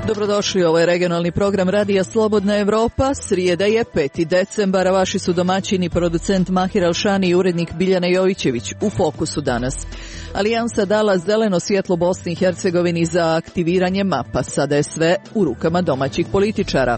Dobrodošli, ovo je regionalni program Radija Slobodna Evropa. Srijeda je 5. decembar, a vaši su domaćini producent Mahir Alšani i urednik Biljana Jovićević. U fokusu danas. Alijansa dala zeleno svjetlo Bosni i Hercegovini za aktiviranje mapa. Sada je sve u rukama domaćih političara.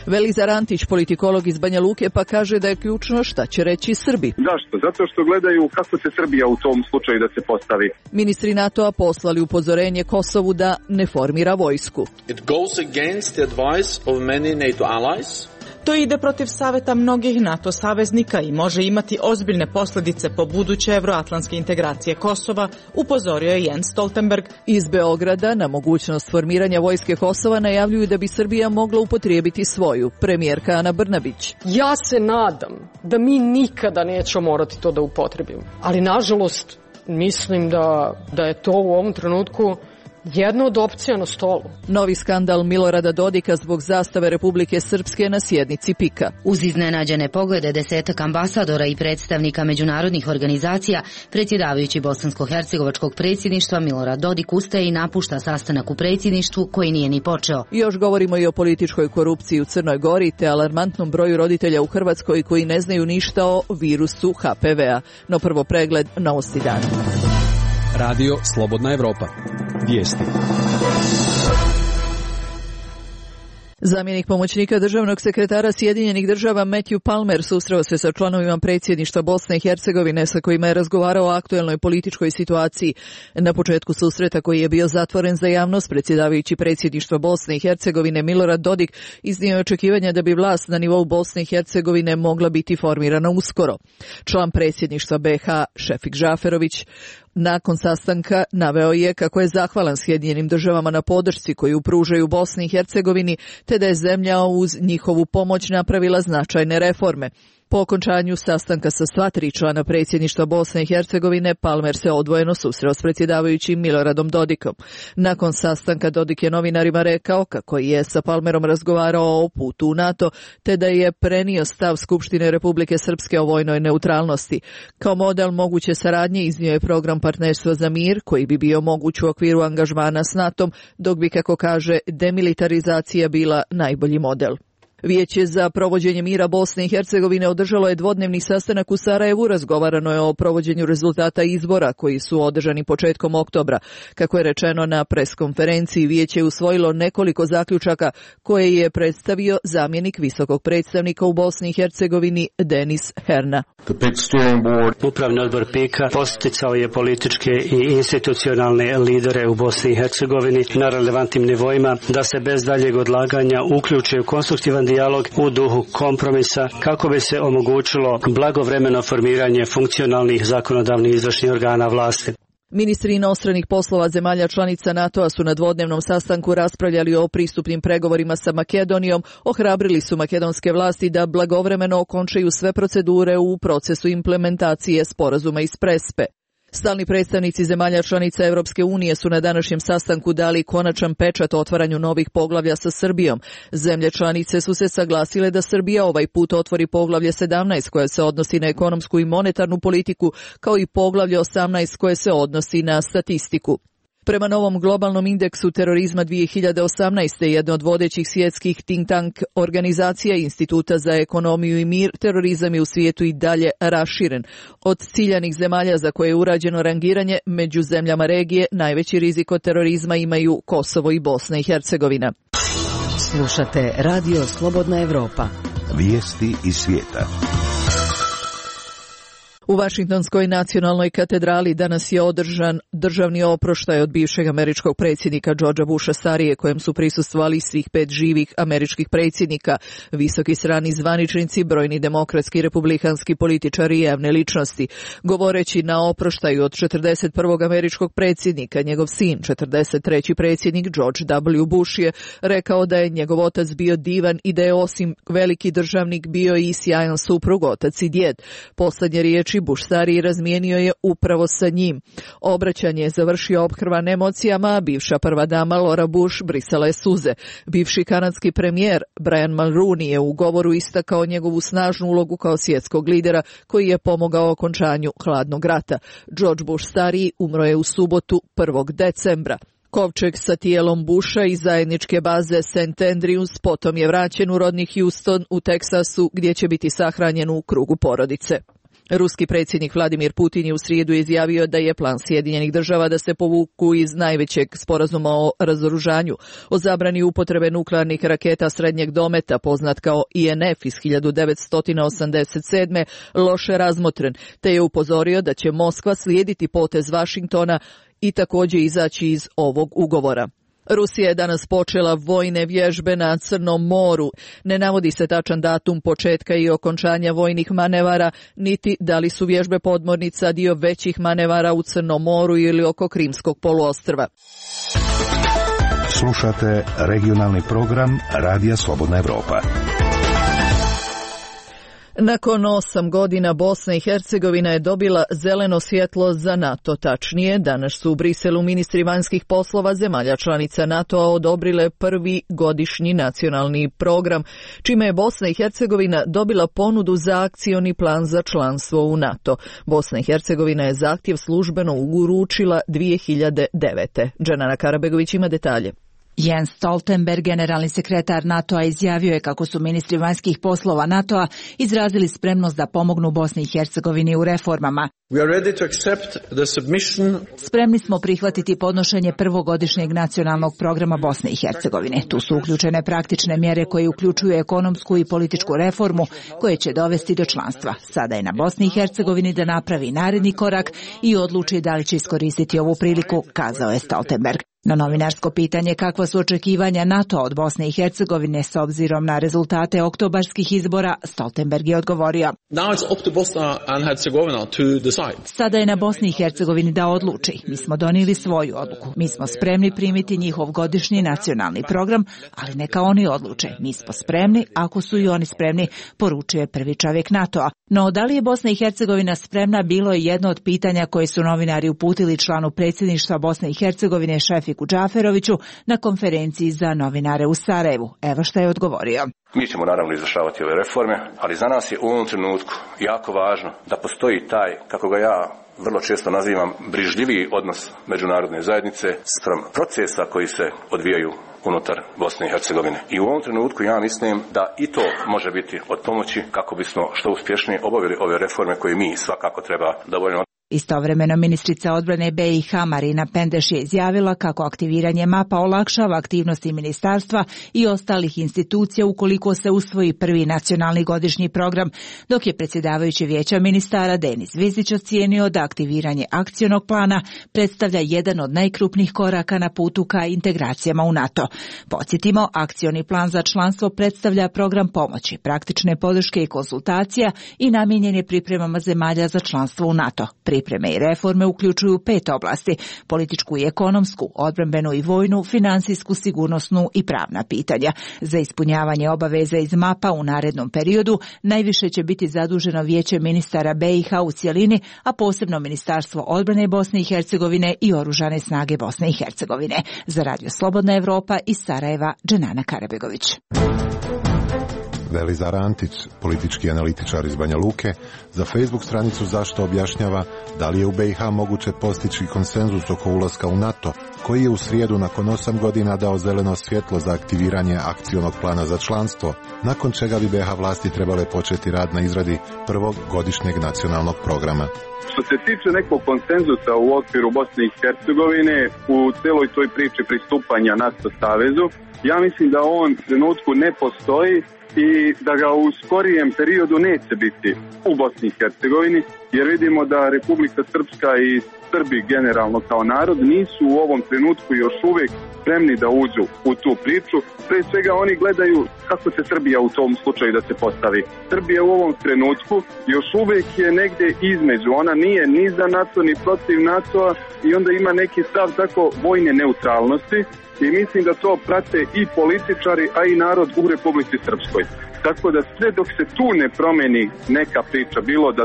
Velizar Antić, politikolog iz Banja Luke, pa kaže da je ključno šta će reći Srbi. Zašto? Zato što gledaju kako se Srbija u tom slučaju da se postavi. Ministri NATO-a poslali upozorenje Kosovu da ne formira vojsku. It goes against the advice of many NATO allies. To ide protiv saveta mnogih NATO saveznika i može imati ozbiljne posljedice po buduće evroatlantske integracije Kosova, upozorio je Jens Stoltenberg. Iz Beograda na mogućnost formiranja vojske Kosova najavljuju da bi Srbija mogla upotrijebiti svoju. Premijerka Ana Brnabić. Ja se nadam da mi nikada nećemo morati to da upotrebimo. Ali nažalost mislim da je to u ovom trenutku jedna od opcija na stolu. Novi skandal Milorada Dodika zbog zastave Republike Srpske na sjednici PIK-a. Uz iznenađene poglede desetak ambasadora i predstavnika međunarodnih organizacija, predsjedavajući bosansko-hercegovačkog predsjedništva Milorad Dodik ustaje i napušta sastanak u predsjedništvu koji nije ni počeo. Još govorimo i o političkoj korupciji u Crnoj Gori te alarmantnom broju roditelja u Hrvatskoj koji ne znaju ništa o virusu HPV-a. No prvo pregled novosti dana. Radio Slobodna Evropa. Vijesti. Zamjenik pomoćnika državnog sekretara Sjedinjenih država Matthew Palmer susreo se sa članovima predsjedništva Bosne i Hercegovine sa kojima je razgovarao o aktuelnoj političkoj situaciji. Na početku susreta, koji je bio zatvoren za javnost, predsjedavajući predsjedništva Bosne i Hercegovine Milorad Dodik iznio je očekivanja da bi vlast na nivou Bosne i Hercegovine mogla biti formirana uskoro. Član predsjedništva BiH Šefik Žaferović nakon sastanka naveo je kako je zahvalan Sjedinjenim državama na podršci koju pružaju Bosni i Hercegovini, te da je zemlja uz njihovu pomoć napravila značajne reforme. Po okončanju sastanka sa sva tri člana predsjedništva Bosne i Hercegovine, Palmer se odvojeno susreo s predsjedavajućim Miloradom Dodikom. Nakon sastanka Dodik je novinarima rekao kako je sa Palmerom razgovarao o putu u NATO, te da je prenio stav Skupštine Republike Srpske o vojnoj neutralnosti. Kao model moguće saradnje iznio je program Partnerstva za mir, koji bi bio moguć u okviru angažmana s NATO-om, dok bi, kako kaže, demilitarizacija bila najbolji model. Vijeće za provođenje mira Bosne i Hercegovine održalo je dvodnevni sastanak u Sarajevu. Razgovarano je o provođenju rezultata izbora koji su održani početkom oktobra. Kako je rečeno na preskonferenciji, vijeće je usvojilo nekoliko zaključaka koje je predstavio zamjenik visokog predstavnika u Bosni i Hercegovini Denis Herna. Upravni odbor PIK-a posticao je političke i institucionalne lidere u Bosni i Hercegovini na relevantnim nivoima da se bez daljeg odlaganja uključe u konstruktivan dijalog u duhu kompromisa kako bi se omogućilo blagovremeno formiranje funkcionalnih zakonodavnih izvršnih organa vlasti. Ministri inostranih poslova zemalja članica NATO-a su na dvodnevnom sastanku raspravljali o pristupnim pregovorima sa Makedonijom, ohrabrili su makedonske vlasti da blagovremeno okončaju sve procedure u procesu implementacije sporazuma iz Prespe. Stalni predstavnici zemalja članica Europske unije su na današnjem sastanku dali konačan pečat otvaranju novih poglavlja sa Srbijom. Zemlje članice su se saglasile da Srbija ovaj put otvori poglavlje 17 koje se odnosi na ekonomsku i monetarnu politiku, kao i poglavlje 18 koje se odnosi na statistiku. Prema novom globalnom indeksu terorizma 2018. jedna od vodećih svjetskih think tank organizacija Instituta za ekonomiju i mir, terorizam je u svijetu i dalje raširen. Od ciljanih zemalja za koje je urađeno rangiranje, među zemljama regije najveći rizik od terorizma imaju Kosovo i Bosna i Hercegovina. Slušate Radio Slobodna Evropa. Vijesti iz svijeta. U Vašingtonskoj nacionalnoj katedrali danas je održan državni oproštaj od bivšeg američkog predsjednika Georgea Busha starije, kojem su prisustvovali svih 5 živih američkih predsjednika, visoki strani zvaničnici, brojni demokratski i republikanski političari i javne ličnosti. Govoreći na oproštaju od 41. američkog predsjednika, njegov sin, 43. predsjednik George W. Bush je rekao da je njegov otac bio divan i da je osim veliki državnik bio i sjajan suprug, otac i djed. Poslednje riječi Bush stariji razmijenio je upravo sa njim. Obraćanje je završio ophrvan emocijama, a bivša prva dama Laura Bush brisala je suze. Bivši kanadski premijer Brian Mulroney je u govoru istakao njegovu snažnu ulogu kao svjetskog lidera koji je pomogao okončanju hladnog rata. George Bush stariji umro je u subotu 1. decembra. Kovčeg sa tijelom Busha iz zajedničke baze St. Andrews potom je vraćen u rodni Houston u Teksasu gdje će biti sahranjen u krugu porodice. Ruski predsjednik Vladimir Putin je u srijedu izjavio da je plan Sjedinjenih država da se povuku iz najvećeg sporazuma o razoružanju, o zabrani upotrebe nuklearnih raketa srednjeg dometa, poznat kao INF iz 1987. loše razmotren, te je upozorio da će Moskva slijediti potez Vašingtona i također izaći iz ovog ugovora. Rusija je danas počela vojne vježbe na Crnom moru. Ne navodi se tačan datum početka i okončanja vojnih manevara, niti da li su vježbe podmornica dio većih manevara u Crnom moru ili oko Krimskog poluostrva. Slušate regionalni program Radija Slobodna Evropa. Nakon 8 godina Bosna i Hercegovina je dobila zeleno svjetlo za NATO. Tačnije, danas su u Briselu ministri vanjskih poslova zemalja članica NATO-a odobrile prvi godišnji nacionalni program, čime je Bosna i Hercegovina dobila ponudu za akcioni plan za članstvo u NATO. Bosna i Hercegovina je zahtjev službeno uručila 2009. Dženana Karabegović ima detalje. Jens Stoltenberg, generalni sekretar NATO-a, izjavio je kako su ministri vanjskih poslova NATO-a izrazili spremnost da pomognu Bosni i Hercegovini u reformama. Spremni smo prihvatiti podnošenje prvogodišnjeg nacionalnog programa Bosne i Hercegovine. Tu su uključene praktične mjere koje uključuju ekonomsku i političku reformu koje će dovesti do članstva. Sada je na Bosni i Hercegovini da napravi naredni korak i odluči da li će iskoristiti ovu priliku, kazao je Stoltenberg. Na novinarsko pitanje kakva su očekivanja NATO od Bosne i Hercegovine s obzirom na rezultate oktobarskih izbora, Stoltenberg je odgovorio: Sada je na Bosni i Hercegovini da odluči. Mi smo donijeli svoju odluku. Mi smo spremni primiti njihov godišnji nacionalni program, ali neka oni odluče. Mi smo spremni, ako su i oni spremni, poručuje prvi čovjek NATO-a. No, da li je Bosna i Hercegovina spremna, bilo je jedno od pitanja koje su novinari uputili članu predsjedništva Bosne i Hercegovine Šefiku Džaferoviću na konferenciji za novinare u Sarajevu. Evo šta je odgovorio. Mi ćemo naravno izvršavati ove reforme, ali za nas je u ovom trenutku jako važno da postoji taj, kako ga ja vrlo često nazivam, brižljiviji odnos međunarodne zajednice spram procesa koji se odvijaju unutar Bosne i Hercegovine. I u ovom trenutku ja mislim da i to može biti od pomoći kako bismo što uspješnije obavili ove reforme koje mi svakako treba da obavimo. Istovremeno ministrica odbrane BiH Marina Pendeš je izjavila kako aktiviranje mapa olakšava aktivnosti ministarstva i ostalih institucija ukoliko se usvoji prvi nacionalni godišnji program, dok je predsjedavajući vijeća ministara Denis Vizić ocijenio da aktiviranje akcionog plana predstavlja jedan od najkrupnijih koraka na putu ka integracijama u NATO. Podsjetimo, akcioni plan za članstvo predstavlja program pomoći, praktične podrške i konsultacija i namijenjen je pripremama zemalja za članstvo u NATO. Pripreme i reforme uključuju 5 oblasti: političku i ekonomsku, odbrambenu i vojnu, financijsku, sigurnosnu i pravna pitanja. Za ispunjavanje obaveza iz mapa u narednom periodu najviše će biti zaduženo Vijeće ministara BiH u cjelini, a posebno Ministarstvo odbrane Bosne i Hercegovine i Oružane snage Bosne i Hercegovine. Za Radio Slobodna Evropa iz Sarajeva, Dženana Karabegović. Velizar Antić, politički analitičar iz Banja Luke, za Facebook stranicu Zašto objašnjava da li je u BiH moguće postići konsenzus oko ulaska u NATO, koji je u srijedu nakon 8 godina dao zeleno svjetlo za aktiviranje akcionog plana za članstvo, nakon čega bi BiH vlasti trebale početi rad na izradi prvog godišnjeg nacionalnog programa. Što se tiče nekog konsenzusa u okviru Bosne i Hercegovine u celoj toj priči pristupanja NATO savezu, ja mislim da on u trenutku ne postoji i da ga u skorijem periodu neće biti u Bosni i Hercegovini, jer vidimo da Republika Srpska i Srbi generalno kao narod nisu u ovom trenutku još uvijek spremni da uđu u tu priču. Pre svega oni gledaju kako će Srbija u tom slučaju da se postavi. Srbija u ovom trenutku još uvijek je negdje između. Ona nije ni za NATO ni protiv NATO-a i onda ima neki stav tako vojne neutralnosti. I mislim da to prate i političari, a i narod u Republici Srpskoj. Tako da sve dok se tu ne promeni neka priča, bilo da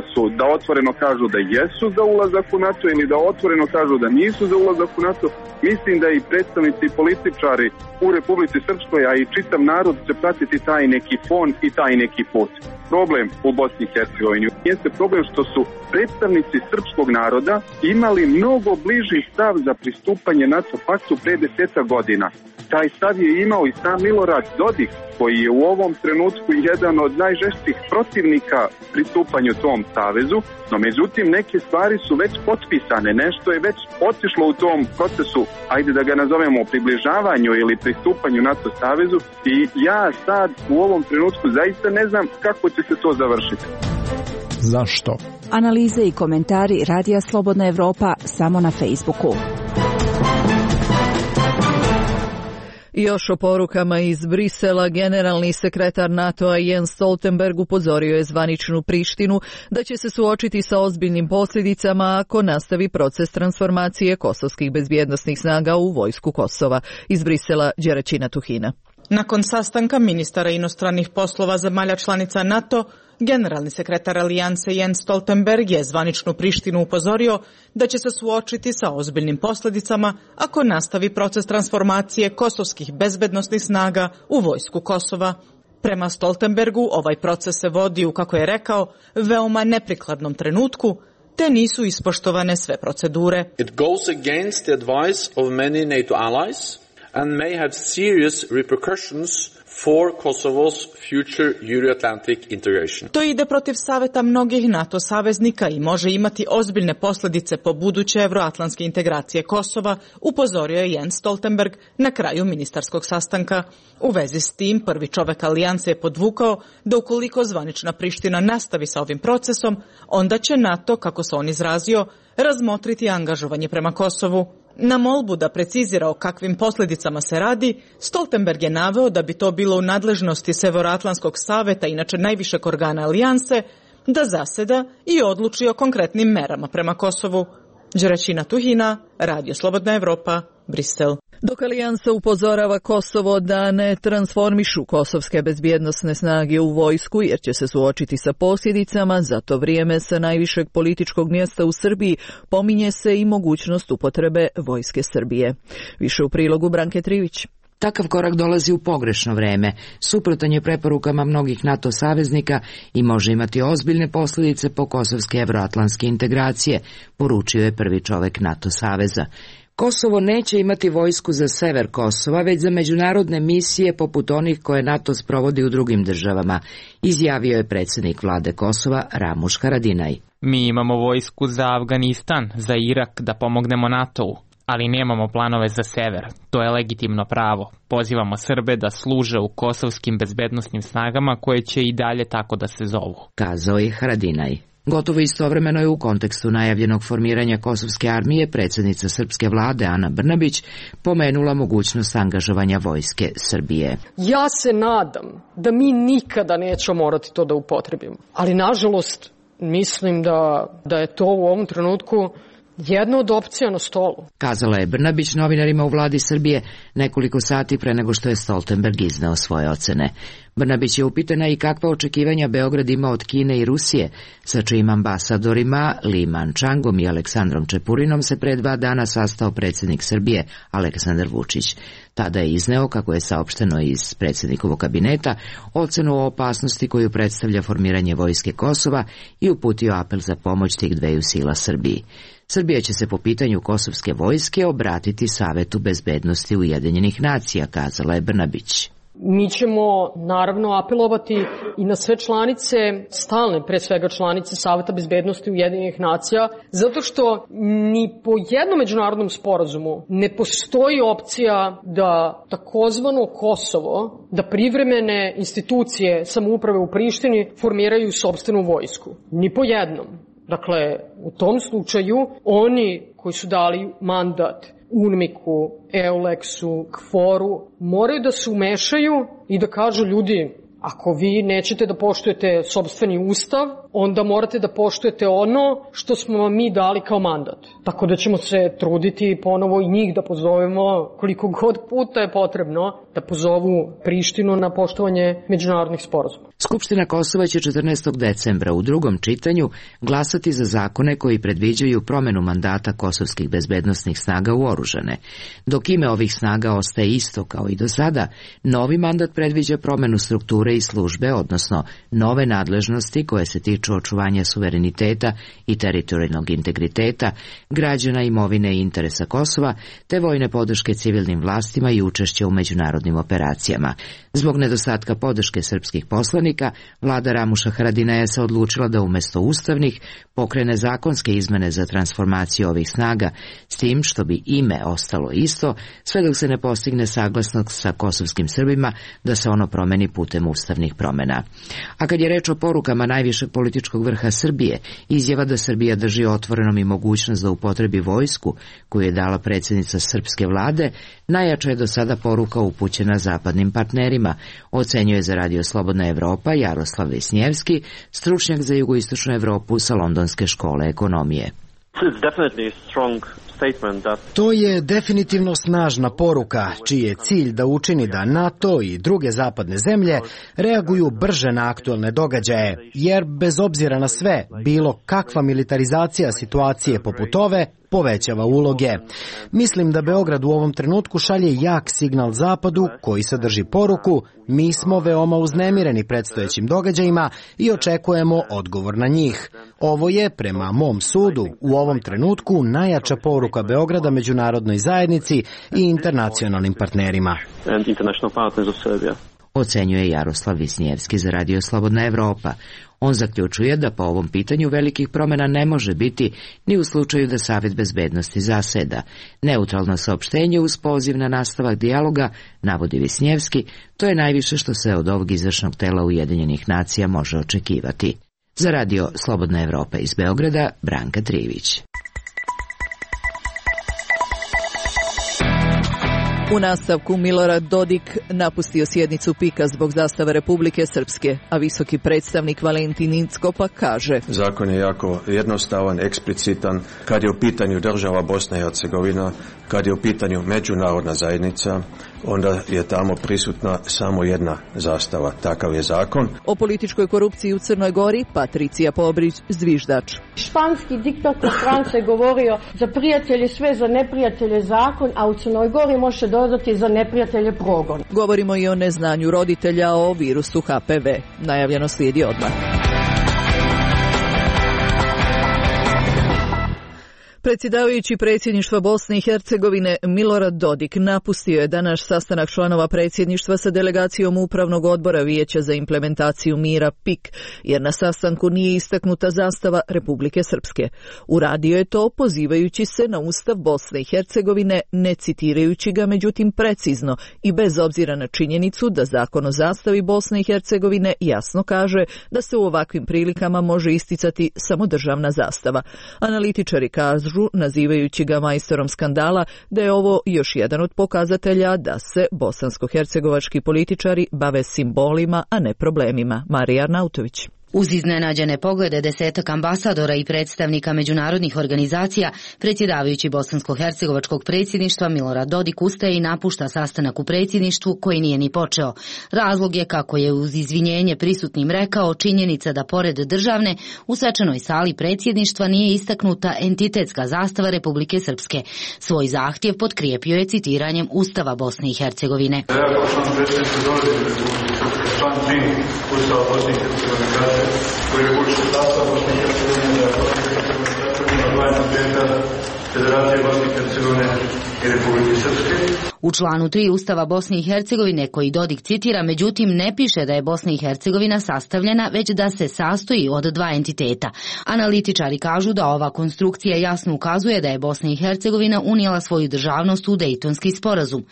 otvoreno kažu da jesu za ulazak u NATO ili da otvoreno kažu da nisu za ulazak u NATO, mislim da i predstavnici i političari u Republici Srpskoj, a i čitav narod će pratiti taj neki fon i taj neki put. Problem u Bosni i Hercegovini jeste problem što su predstavnici srpskog naroda imali mnogo bliži stav za pristupanje NATO paktu pre 10 godina. Taj stav je imao i sam Milorad Dodik, koji je u ovom trenutku jedan od najžešćih protivnika pristupanju tom savezu, no međutim neke stvari su već potpisane, nešto je već otišlo u tom procesu, ajde da ga nazovemo približavanju ili pristupanju NATO savezu, i ja sad u ovom trenutku zaista ne znam kako će se to završiti. Zašto? Analize i komentari Radija Slobodna Evropa samo na Facebooku. I još o porukama iz Brisela, generalni sekretar NATO-a Jens Stoltenberg upozorio je zvaničnu Prištinu da će se suočiti sa ozbiljnim posljedicama ako nastavi proces transformacije kosovskih bezbjednosnih snaga u vojsku Kosova. Iz Brisela, Đeraćina Tuhina. Nakon sastanka ministara inostranih poslova zemalja članica NATO, generalni sekretar Alijanse Jens Stoltenberg je zvaničnu Prištinu upozorio da će se suočiti sa ozbiljnim posljedicama ako nastavi proces transformacije kosovskih bezbednosnih snaga u vojsku Kosova. Prema Stoltenbergu ovaj proces se vodi u, kako je rekao, veoma neprikladnom trenutku, te nisu ispoštovane sve procedure. It goes against the advice of many NATO allies and may have serious repercussions for Kosovo's future Euro-Atlantic integration. To ide protiv saveta mnogih NATO saveznika i može imati ozbiljne posljedice po buduće evroatlantske integracije Kosova, upozorio je Jens Stoltenberg na kraju ministarskog sastanka. U vezi s tim, prvi čovek alijanse je podvukao da ukoliko zvanična Priština nastavi sa ovim procesom, onda će NATO, kako se on izrazio, razmotriti angažovanje prema Kosovu. Na molbu da precizira o kakvim posljedicama se radi, Stoltenberg je naveo da bi to bilo u nadležnosti Severoatlantskog saveta, inače najvišeg organa alijanse, da zaseda i odluči o konkretnim merama prema Kosovu. Đeraćina Tuhina, Radio Slobodna Evropa, Brisel. Dok alijansa upozorava Kosovo da ne transformišu kosovske bezbjednosne snage u vojsku jer će se suočiti sa posljedicama, za to vrijeme sa najvišeg političkog mjesta u Srbiji pominje se i mogućnost upotrebe vojske Srbije. Više u prilogu Branke Trivić. Takav korak dolazi u pogrešno vreme, suprotan je preporukama mnogih NATO saveznika i može imati ozbiljne posljedice po kosovske evroatlantske integracije, poručio je prvi čovek NATO saveza. Kosovo neće imati vojsku za sever Kosova, već za međunarodne misije poput onih koje NATO sprovodi u drugim državama, izjavio je predsjednik vlade Kosova Ramuš Haradinaj. Mi imamo vojsku za Afganistan, za Irak da pomognemo NATO-u, ali nemamo planove za sever. To je legitimno pravo. Pozivamo Srbe da služe u kosovskim bezbednosnim snagama koje će i dalje tako da se zovu, kazao je Haradinaj. Gotovo istovremeno je u kontekstu najavljenog formiranja kosovske armije predsjednica srpske vlade Ana Brnabić pomenula mogućnost angažovanja vojske Srbije. Ja se nadam da mi nikada nećemo morati to da upotrebimo, ali nažalost mislim da je to u ovom trenutku jedna od opcija na stolu, kazala je Brnabić novinarima u vladi Srbije nekoliko sati pre nego što je Stoltenberg izneo svoje ocene. Brnabić je upitana i kakva očekivanja Beograd ima od Kine i Rusije, sa čijim ambasadorima Li Mančangom i Aleksandrom Čepurinom se pre 2 dana sastao predsjednik Srbije Aleksandar Vučić. Tada je izneo, kako je saopšteno iz predsjednikovog kabineta, ocenu o opasnosti koju predstavlja formiranje vojske Kosova i uputio apel za pomoć tih dveju sila Srbiji. Srbija će se po pitanju kosovske vojske obratiti Savetu bezbednosti Ujedinjenih nacija, kazala je Brnabić. Mi ćemo naravno apelovati i na sve članice, stalne pre svega članice Saveta bezbednosti Ujedinjenih nacija, zato što ni po jednom međunarodnom sporazumu ne postoji opcija da takozvano Kosovo, da privremene institucije samouprave u Prištini formiraju sopstvenu vojsku. Ni po jednom. Dakle, u tom slučaju oni koji su dali mandat UNMIK-u, EULEX-u, KFOR-u, moraju da se umešaju i da kažu ljudi, ako vi nećete da poštujete sopstveni ustav, onda morate da poštujete ono što smo vam mi dali kao mandat. Tako da ćemo se truditi ponovo i njih da pozovemo koliko god puta je potrebno da pozovu Prištinu na poštovanje međunarodnih sporazuma. Skupština Kosova će 14. decembra u drugom čitanju glasati za zakone koji predviđaju promenu mandata kosovskih bezbednosnih snaga u oružane. Dok ime ovih snaga ostaje isto kao i do sada, novi mandat predviđa promenu strukture i službe, odnosno nove nadležnosti koje se tiču očuvanja suvereniteta i teritorijalnog integriteta, građana, imovine i interesa Kosova, te vojne podrške civilnim vlastima i učešća u međunarodnim operacijama. Zbog nedostatka podrške srpskih poslanika, vlada Ramuša Haradinaja se odlučila da umesto ustavnih pokrene zakonske izmene za transformaciju ovih snaga, s tim što bi ime ostalo isto, sve dok se ne postigne saglasnost sa kosovskim Srbima da se ono promeni putem ustavnih promena. A kad je reč o porukama najvišeg političkog vrha Srbije, izjava da Srbija drži otvorenom i mogućnost da upotrebi vojsku koju je dala predsjednica srpske vlade, najjača je do sada poruka upućena zapadnim partnerima, ocenjuje za Radio Slobodna Evropa Jaroslav Visnjevski, stručnjak za jugoistočnu Evropu sa Londonske škole ekonomije. To je definitivno snažna poruka, čiji je cilj da učini da NATO i druge zapadne zemlje reaguju brže na aktuelne događaje, jer bez obzira na sve, bilo kakva militarizacija situacije poput ove povećava uloge. Mislim da Beograd u ovom trenutku šalje jak signal Zapadu koji sadrži poruku: mi smo veoma uznemireni predstojećim događajima i očekujemo odgovor na njih. Ovo je, prema mom sudu, u ovom trenutku najjača poruka Beograda međunarodnoj zajednici i internacionalnim partnerima. Ocenjuje Jaroslav Visnjevski za Radio Slobodna Evropa. On zaključuje da po ovom pitanju velikih promjena ne može biti ni u slučaju da Savet bezbednosti zaseda. Neutralno saopštenje uz poziv na nastavak dijaloga, navodi Visnjevski, to je najviše što se od ovog izvršnog tela Ujedinjenih nacija može očekivati. Za Radio Slobodna Evropa iz Beograda, Branka Trivić. U nastavku Milorad Dodik napustio sjednicu PIK-a zbog zastave Republike Srpske, a visoki predstavnik Valentin Incko pa kaže: zakon je jako jednostavan, eksplicitan, kad je u pitanju država Bosna i Hercegovina, kad je u pitanju međunarodna zajednica, onda je tamo prisutna samo jedna zastava. Takav je zakon. O političkoj korupciji u Crnoj Gori Patricija Pobrić, zviždač. Španski diktator Franco je govorio: za prijatelje sve, za neprijatelje zakon, a u Crnoj Gori može dodati za neprijatelje progon. Govorimo i o neznanju roditelja o virusu HPV. Najavljeno slijedi odmah. Predsjedavajući predsjedništva Bosne i Hercegovine Milorad Dodik napustio je danas sastanak članova predsjedništva sa delegacijom Upravnog odbora Vijeća za implementaciju mira PIK, jer na sastanku nije istaknuta zastava Republike Srpske. Uradio je to pozivajući se na Ustav Bosne i Hercegovine, ne citirajući ga međutim precizno i bez obzira na činjenicu da Zakon o zastavi Bosne i Hercegovine jasno kaže da se u ovakvim prilikama može isticati samo državna zastava. Analitičari kažu, nazivajući ga majstorom skandala, da je ovo još jedan od pokazatelja da se bosansko-hercegovački političari bave simbolima, a ne problemima. Marija Arnautović. Uz iznenađene poglede 10 ambasadora i predstavnika međunarodnih organizacija, predsjedavajući bosansko-hercegovačkog predsjedništva Milorad Dodik ustaje i napušta sastanak u predsjedništvu koji nije ni počeo. Razlog je, kako je uz izvinjenje prisutnim rekao, činjenica da pored državne u svečanoj sali predsjedništva nije istaknuta entitetska zastava Republike Srpske. Svoj zahtjev potkrijepio je citiranjem Ustava Bosne i Hercegovine. Član 3 Ustava Bosne i Hercegovine kaže: koji republički sastav Bosne i Hercegovine da Bosne dva entiteta Federacije Bosne i Hercegovine i Republike Srpske. U članu 3 Ustava Bosne i Hercegovine, koji Dodik citira, međutim ne piše da je Bosna i Hercegovina sastavljena, već da se sastoji od dva entiteta. Analitičari kažu da ova konstrukcija jasno ukazuje da je Bosna i Hercegovina unijela svoju državnost u Dejtonski sporazum.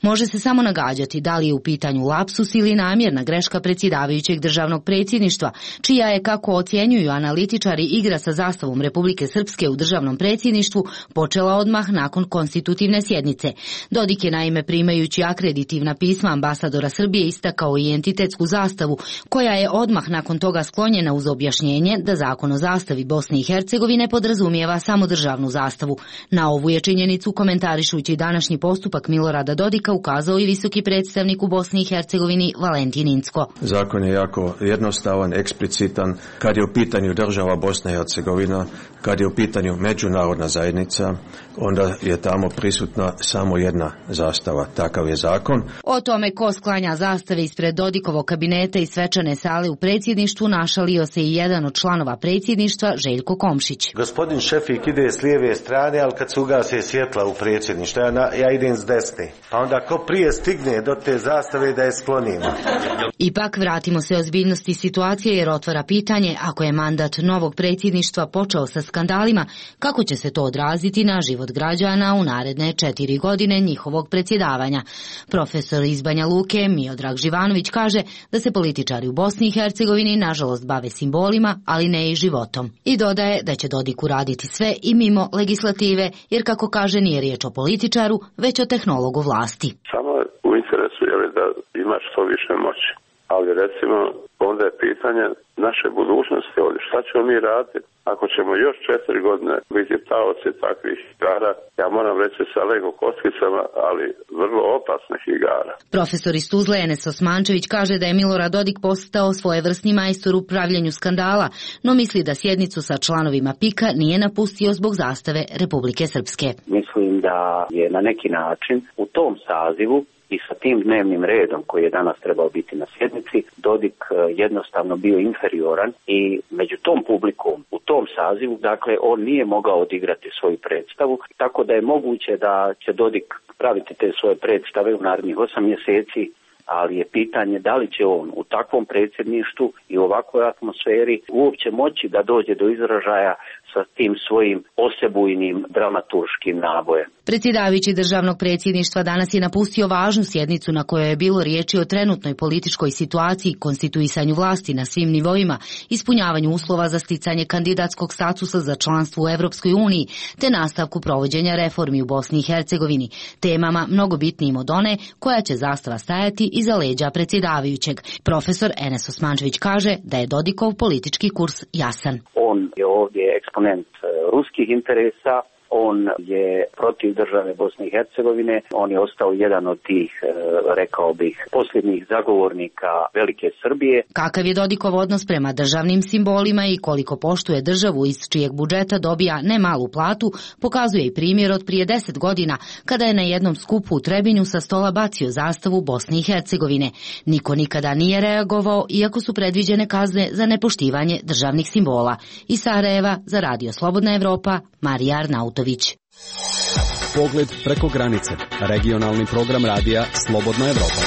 Može se samo nagađati da li je u pitanju lapsus ili namjerna greška predsjedavajućeg državnog predsjedništva, čija je, kako ocjenjuju analitičari, igra sa zastavom Republike Srpske u državnom predsjedništvu počela odmah nakon konstitutivne sjednice. Dodik je naime primajući akreditivna pisma ambasadora Srbije istakao i entitetsku zastavu, koja je odmah nakon toga sklonjena uz objašnjenje da zakon o zastavi Bosne i Hercegovine podrazumijeva samo državnu zastavu. Na ovu je činjenicu komentarišući današnji postupak Milorada Dodika ukazao i visoki predstavnik u Bosni i Hercegovini Valentin Incko. Zakon je jako jednostavan, eksplicitan. Kad je u pitanju država Bosna i Hercegovina, kad je u pitanju međunarodna zajednica, onda je tamo prisutna samo jedna zastava. Takav je zakon. O tome ko sklanja zastave ispred Dodikovog kabineta i svečane sale u predsjedništvu našalio se i jedan od članova predsjedništva, Željko Komšić. Gospodin Šefik ide s lijeve strane, ali kad se ugase svjetla u predsjedništvu, ja idem s desne. Pa onda ko prije stigne do te zastave da je sklonimo. Ipak vratimo se ozbiljnosti situacije jer otvara pitanje, ako je mandat novog predsjedništva počeo sa skandalima, kako će se to odraziti na život građana u naredne 4 godine njihovog predsjedavanja. Profesor iz Banja Luke Miodrag Živanović kaže da se političari u Bosni i Hercegovini nažalost bave simbolima, ali ne i životom. I dodaje da će Dodik uraditi sve i mimo legislative, jer kako kaže nije riječ o političaru, već o tehnologu vlasti. Samo u interesu je da imaš što više moći. Ali recimo, onda je pitanje naše budućnosti ovdje. Šta ćemo mi raditi ako ćemo još 4 godine biti taoci takvih igara? Ja moram reći sa Lego kockicama, ali vrlo opasnih igara. Profesor iz Tuzle Enes Osmančević kaže da je Milorad Dodik postao svojevrsni majstor u pravljenju skandala, no misli da sjednicu sa članovima PIK-a nije napustio zbog zastave Republike Srpske. Mislim da je na neki način u tom sazivu i sa tim dnevnim redom koji je danas trebao biti na sjednici, Dodik jednostavno bio inferioran i među tom publikom, u tom sazivu, dakle, on nije mogao odigrati svoju predstavu, tako da je moguće da će Dodik praviti te svoje predstave u narednih 8 mjeseci, ali je pitanje da li će on u takvom predsjedništvu i u ovakvoj atmosferi uopće moći da dođe do izražaja sa tim svojim osebujnim dramaturškim nabojem. Predsjedavajući državnog predsjedništva danas je napustio važnu sjednicu na kojoj je bilo riječi o trenutnoj političkoj situaciji, konstituisanju vlasti na svim nivoima, ispunjavanju uslova za sticanje kandidatskog statusa za članstvo u Europskoj uniji, te nastavku provođenja reformi u Bosni i Hercegovini, temama mnogo bitnijim od one koja će zastava stajati iza leđa predsjedavajućeg. Profesor Enes Osmančević kaže da je Dodikov politički kurs jasan. On je ovdje eksponent ruskih interesa, on je protiv države Bosne i Hercegovine, on je ostao jedan od tih, rekao bih, posljednjih zagovornika velike Srbije. Kakav je Dodikov odnos prema državnim simbolima i koliko poštuje državu iz čijeg budžeta dobija ne malu platu, pokazuje i primjer od prije 10 godina, kada je na jednom skupu u Trebinju sa stola bacio zastavu Bosne i Hercegovine. Niko nikada nije reagovao, iako su predviđene kazne za nepoštivanje državnih simbola. Iz Sarajeva za Radio Slobodna Evropa, Marija Arnautović. Pogled preko granice. Regionalni program radija Slobodna Evropa.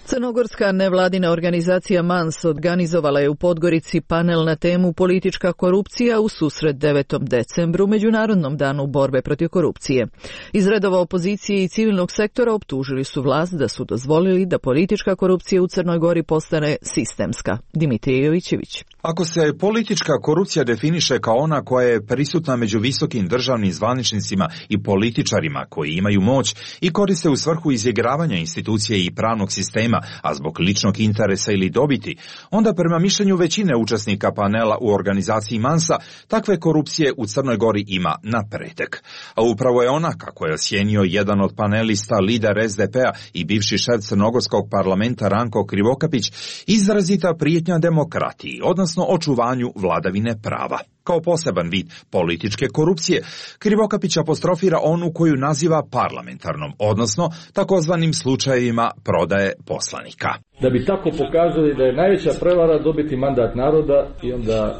Crnogorska nevladina organizacija MANS organizovala je u Podgorici panel na temu politička korupcija u susret 9. decembru, Međunarodnom danu borbe protiv korupcije. Iz redova opozicije i civilnog sektora optužili su vlast da su dozvolili da politička korupcija u Crnoj Gori postane sistemska. Dimitrije Jovićević. Ako se politička korupcija definiše kao ona koja je prisutna među visokim državnim zvaničnicima i političarima koji imaju moć i koriste u svrhu izigravanja institucije i pravnog sistema, a zbog ličnog interesa ili dobiti, onda prema mišljenju većine učesnika panela u organizaciji MANS-a, takve korupcije u Crnoj Gori ima napretek. A upravo je ona, kako je ocijenio jedan od panelista, lider SDP-a i bivši šef Crnogorskog parlamenta Ranko Krivokapić, izrazita prijetnja demokratiji, odnosno očuvanju vladavine prava. Kao poseban vid političke korupcije, Krivokapić apostrofira onu koju naziva parlamentarnom, odnosno takozvanim slučajevima prodaje poslanika. Da bi tako pokazali da je najveća prevara dobiti mandat naroda i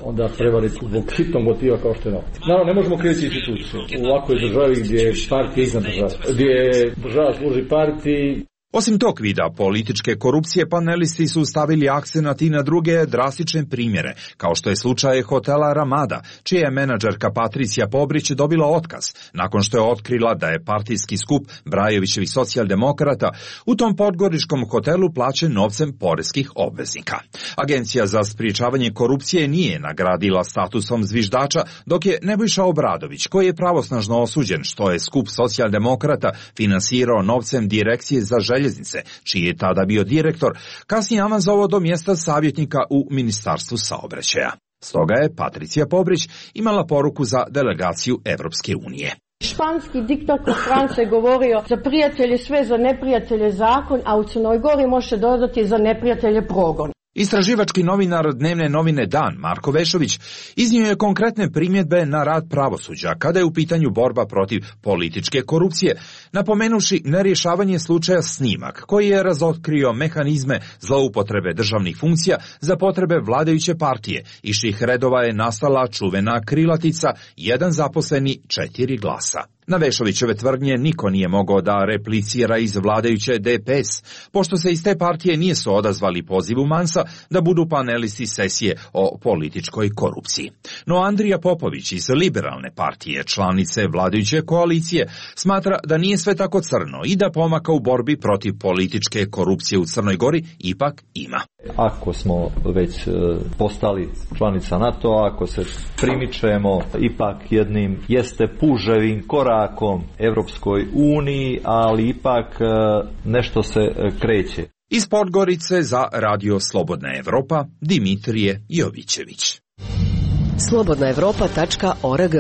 onda prevariti zbog hitnog motiva kao što je novac. Naravno, ne možemo kriviti institucije u ovakvoj državi gdje je partija iznad države, gdje država služi partiji. Osim tog vida političke korupcije, panelisti su stavili akcenat i na druge drastične primjere, kao što je slučaj hotela Ramada, čija je menadžerka Patricija Pobrić dobila otkaz, nakon što je otkrila da je partijski skup Brajovićevih socijaldemokrata u tom podgoričkom hotelu plaćen novcem poreskih obveznika. Agencija za sprječavanje korupcije nije nagradila statusom zviždača, dok je Nebojša Obradović, koji je pravosnažno osuđen što je skup socijaldemokrata finansirao novcem Direkcije za željeznice, čiji je tada bio direktor, kasnije avanzovao do mjesta savjetnika u Ministarstvu saobraćaja. Stoga je Patricija Pobrić imala poruku za delegaciju Evropske unije. Španski diktator France govorio za prijatelje sve, za neprijatelje zakon, a u Crnoj Gori može dodati za neprijatelje progon. Istraživački novinar dnevne novine Dan, Marko Vešović, iznio je konkretne primjedbe na rad pravosuđa kada je u pitanju borba protiv političke korupcije, napomenuši nerješavanje slučaja Snimak, koji je razotkrio mehanizme zloupotrebe državnih funkcija za potrebe vladajuće partije, iz čijih redova je nastala čuvena krilatica jedan zaposleni 4 glasa. Na Vešovićeve tvrdnje niko nije mogao da replicira iz vladajuće DPS, pošto se iz te partije nisu odazvali pozivu Mansa da budu panelisti sesije o političkoj korupciji. No Andrija Popović iz Liberalne partije, članice vladajuće koalicije, smatra da nije sve tako crno i da pomaka u borbi protiv političke korupcije u Crnoj Gori ipak ima. Ako smo već postali članica NATO, ako se primičemo ipak jednim jeste puževim korakom Evropskoj uniji, ali ipak nešto se kreće. Iz Podgorice za Radio Slobodna Evropa, Dimitrije Jovićević. slobodnaevropa.org.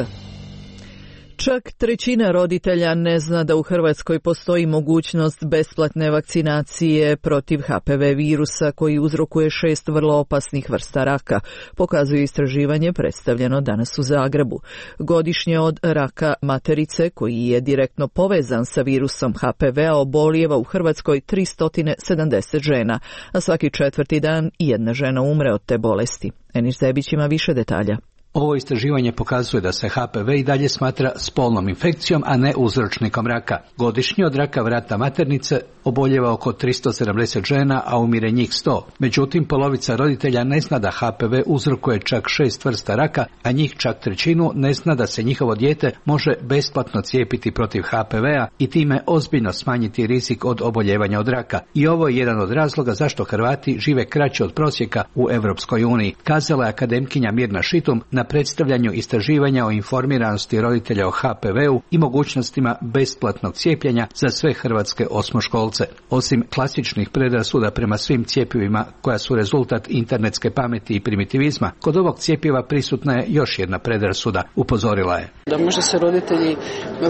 Čak trećina roditelja ne zna da u Hrvatskoj postoji mogućnost besplatne vakcinacije protiv HPV virusa koji uzrokuje 6 vrlo opasnih vrsta raka, pokazuje istraživanje predstavljeno danas u Zagrebu. Godišnje od raka materice, koji je direktno povezan sa virusom HPV-a, obolijeva u Hrvatskoj 370 žena, a svaki 4. dan jedna žena umre od te bolesti. Enis Zebić ima više detalja. Ovo istraživanje pokazuje da se HPV i dalje smatra spolnom infekcijom, a ne uzročnikom raka. Godišnje od raka vrata maternice oboljeva oko 370 žena, a umire njih 100. Međutim, polovica roditelja ne zna da HPV uzrokuje čak 6 vrsta raka, a njih čak trećinu ne zna da se njihovo dijete može besplatno cijepiti protiv HPV-a i time ozbiljno smanjiti rizik od oboljevanja od raka. I ovo je jedan od razloga zašto Hrvati žive kraće od prosjeka u Europskoj uniji, kazala je akademkinja Mirna Šitum na predstavljanju istraživanja o informiranosti roditelja o HPV-u i mogućnostima besplatnog cijepljenja za sve hrvatske osmoškolce. Osim klasičnih predrasuda prema svim cjepivima koja su rezultat internetske pameti i primitivizma, kod ovog cjepiva prisutna je još jedna predrasuda, upozorila je. Da možda se roditelji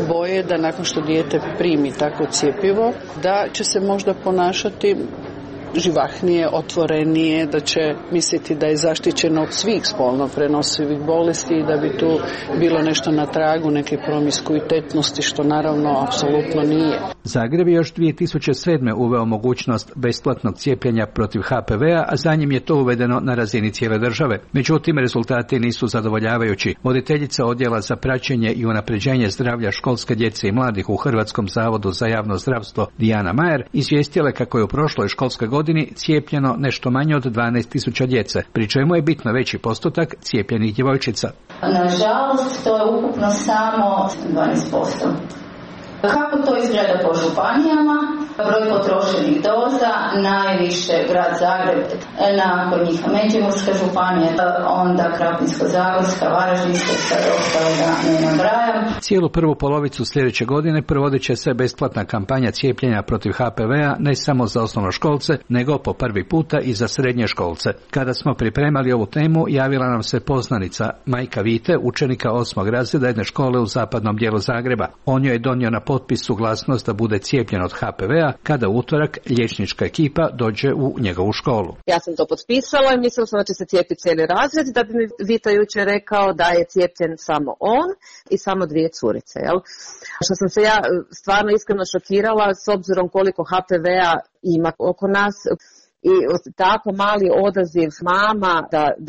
boje da nakon što dijete primi takvo cjepivo, da će se možda ponašati živahnije, otvorenije, da će misliti da je zaštićeno od svih spolno prenosivih bolesti i da bi tu bilo nešto na tragu neke promiskuitetnosti, što naravno apsolutno nije. Zagreb je još 2007. uveo mogućnost besplatnog cijepljenja protiv HPV-a, a za njim je to uvedeno na razini cijele države. Međutim, rezultati nisu zadovoljavajući. Voditeljica odjela za praćenje i unapređenje zdravlja školske djece i mladih u Hrvatskom zavodu za javno zdravstvo Dijana Majer izvijestila je kako je u prošloj školskoj godini cijepljeno nešto manje od 12.000 djece, pri čemu je bitno veći postotak cijepljenih djevojčica. Nažalost, to je ukupno samo 12%. Kako to izgleda po županijama? Broj potrošenih doza, najviše grad Zagreb, nakon njih Međimurska županija, onda Krapinsko-zagorska, Varaždinska, sad ostalo da ne nabrajam. Cijelu prvu polovicu sljedeće godine provodit će se besplatna kampanja cijepljenja protiv HPV-a ne samo za osnovnoškolce, nego po prvi puta i za srednje školce. Kada smo pripremali ovu temu, javila nam se poznanica, majka Vite, učenika 8. razreda jedne škole u zapadnom dijelu Zagreba. On joj je donio na potpis suglasnost da bude cijepljen od HPV-a kada u utorak liječnička ekipa dođe u njegovu školu. Ja sam to potpisala i mislila sam da će se cijepiti cijeli razred, da bi mi Vita jučer rekao da je cijepljen samo on i samo 2 curice. Jel? Što sam se ja stvarno iskreno šokirala s obzirom koliko HPV-a ima oko nas. i tako mali odaziv mama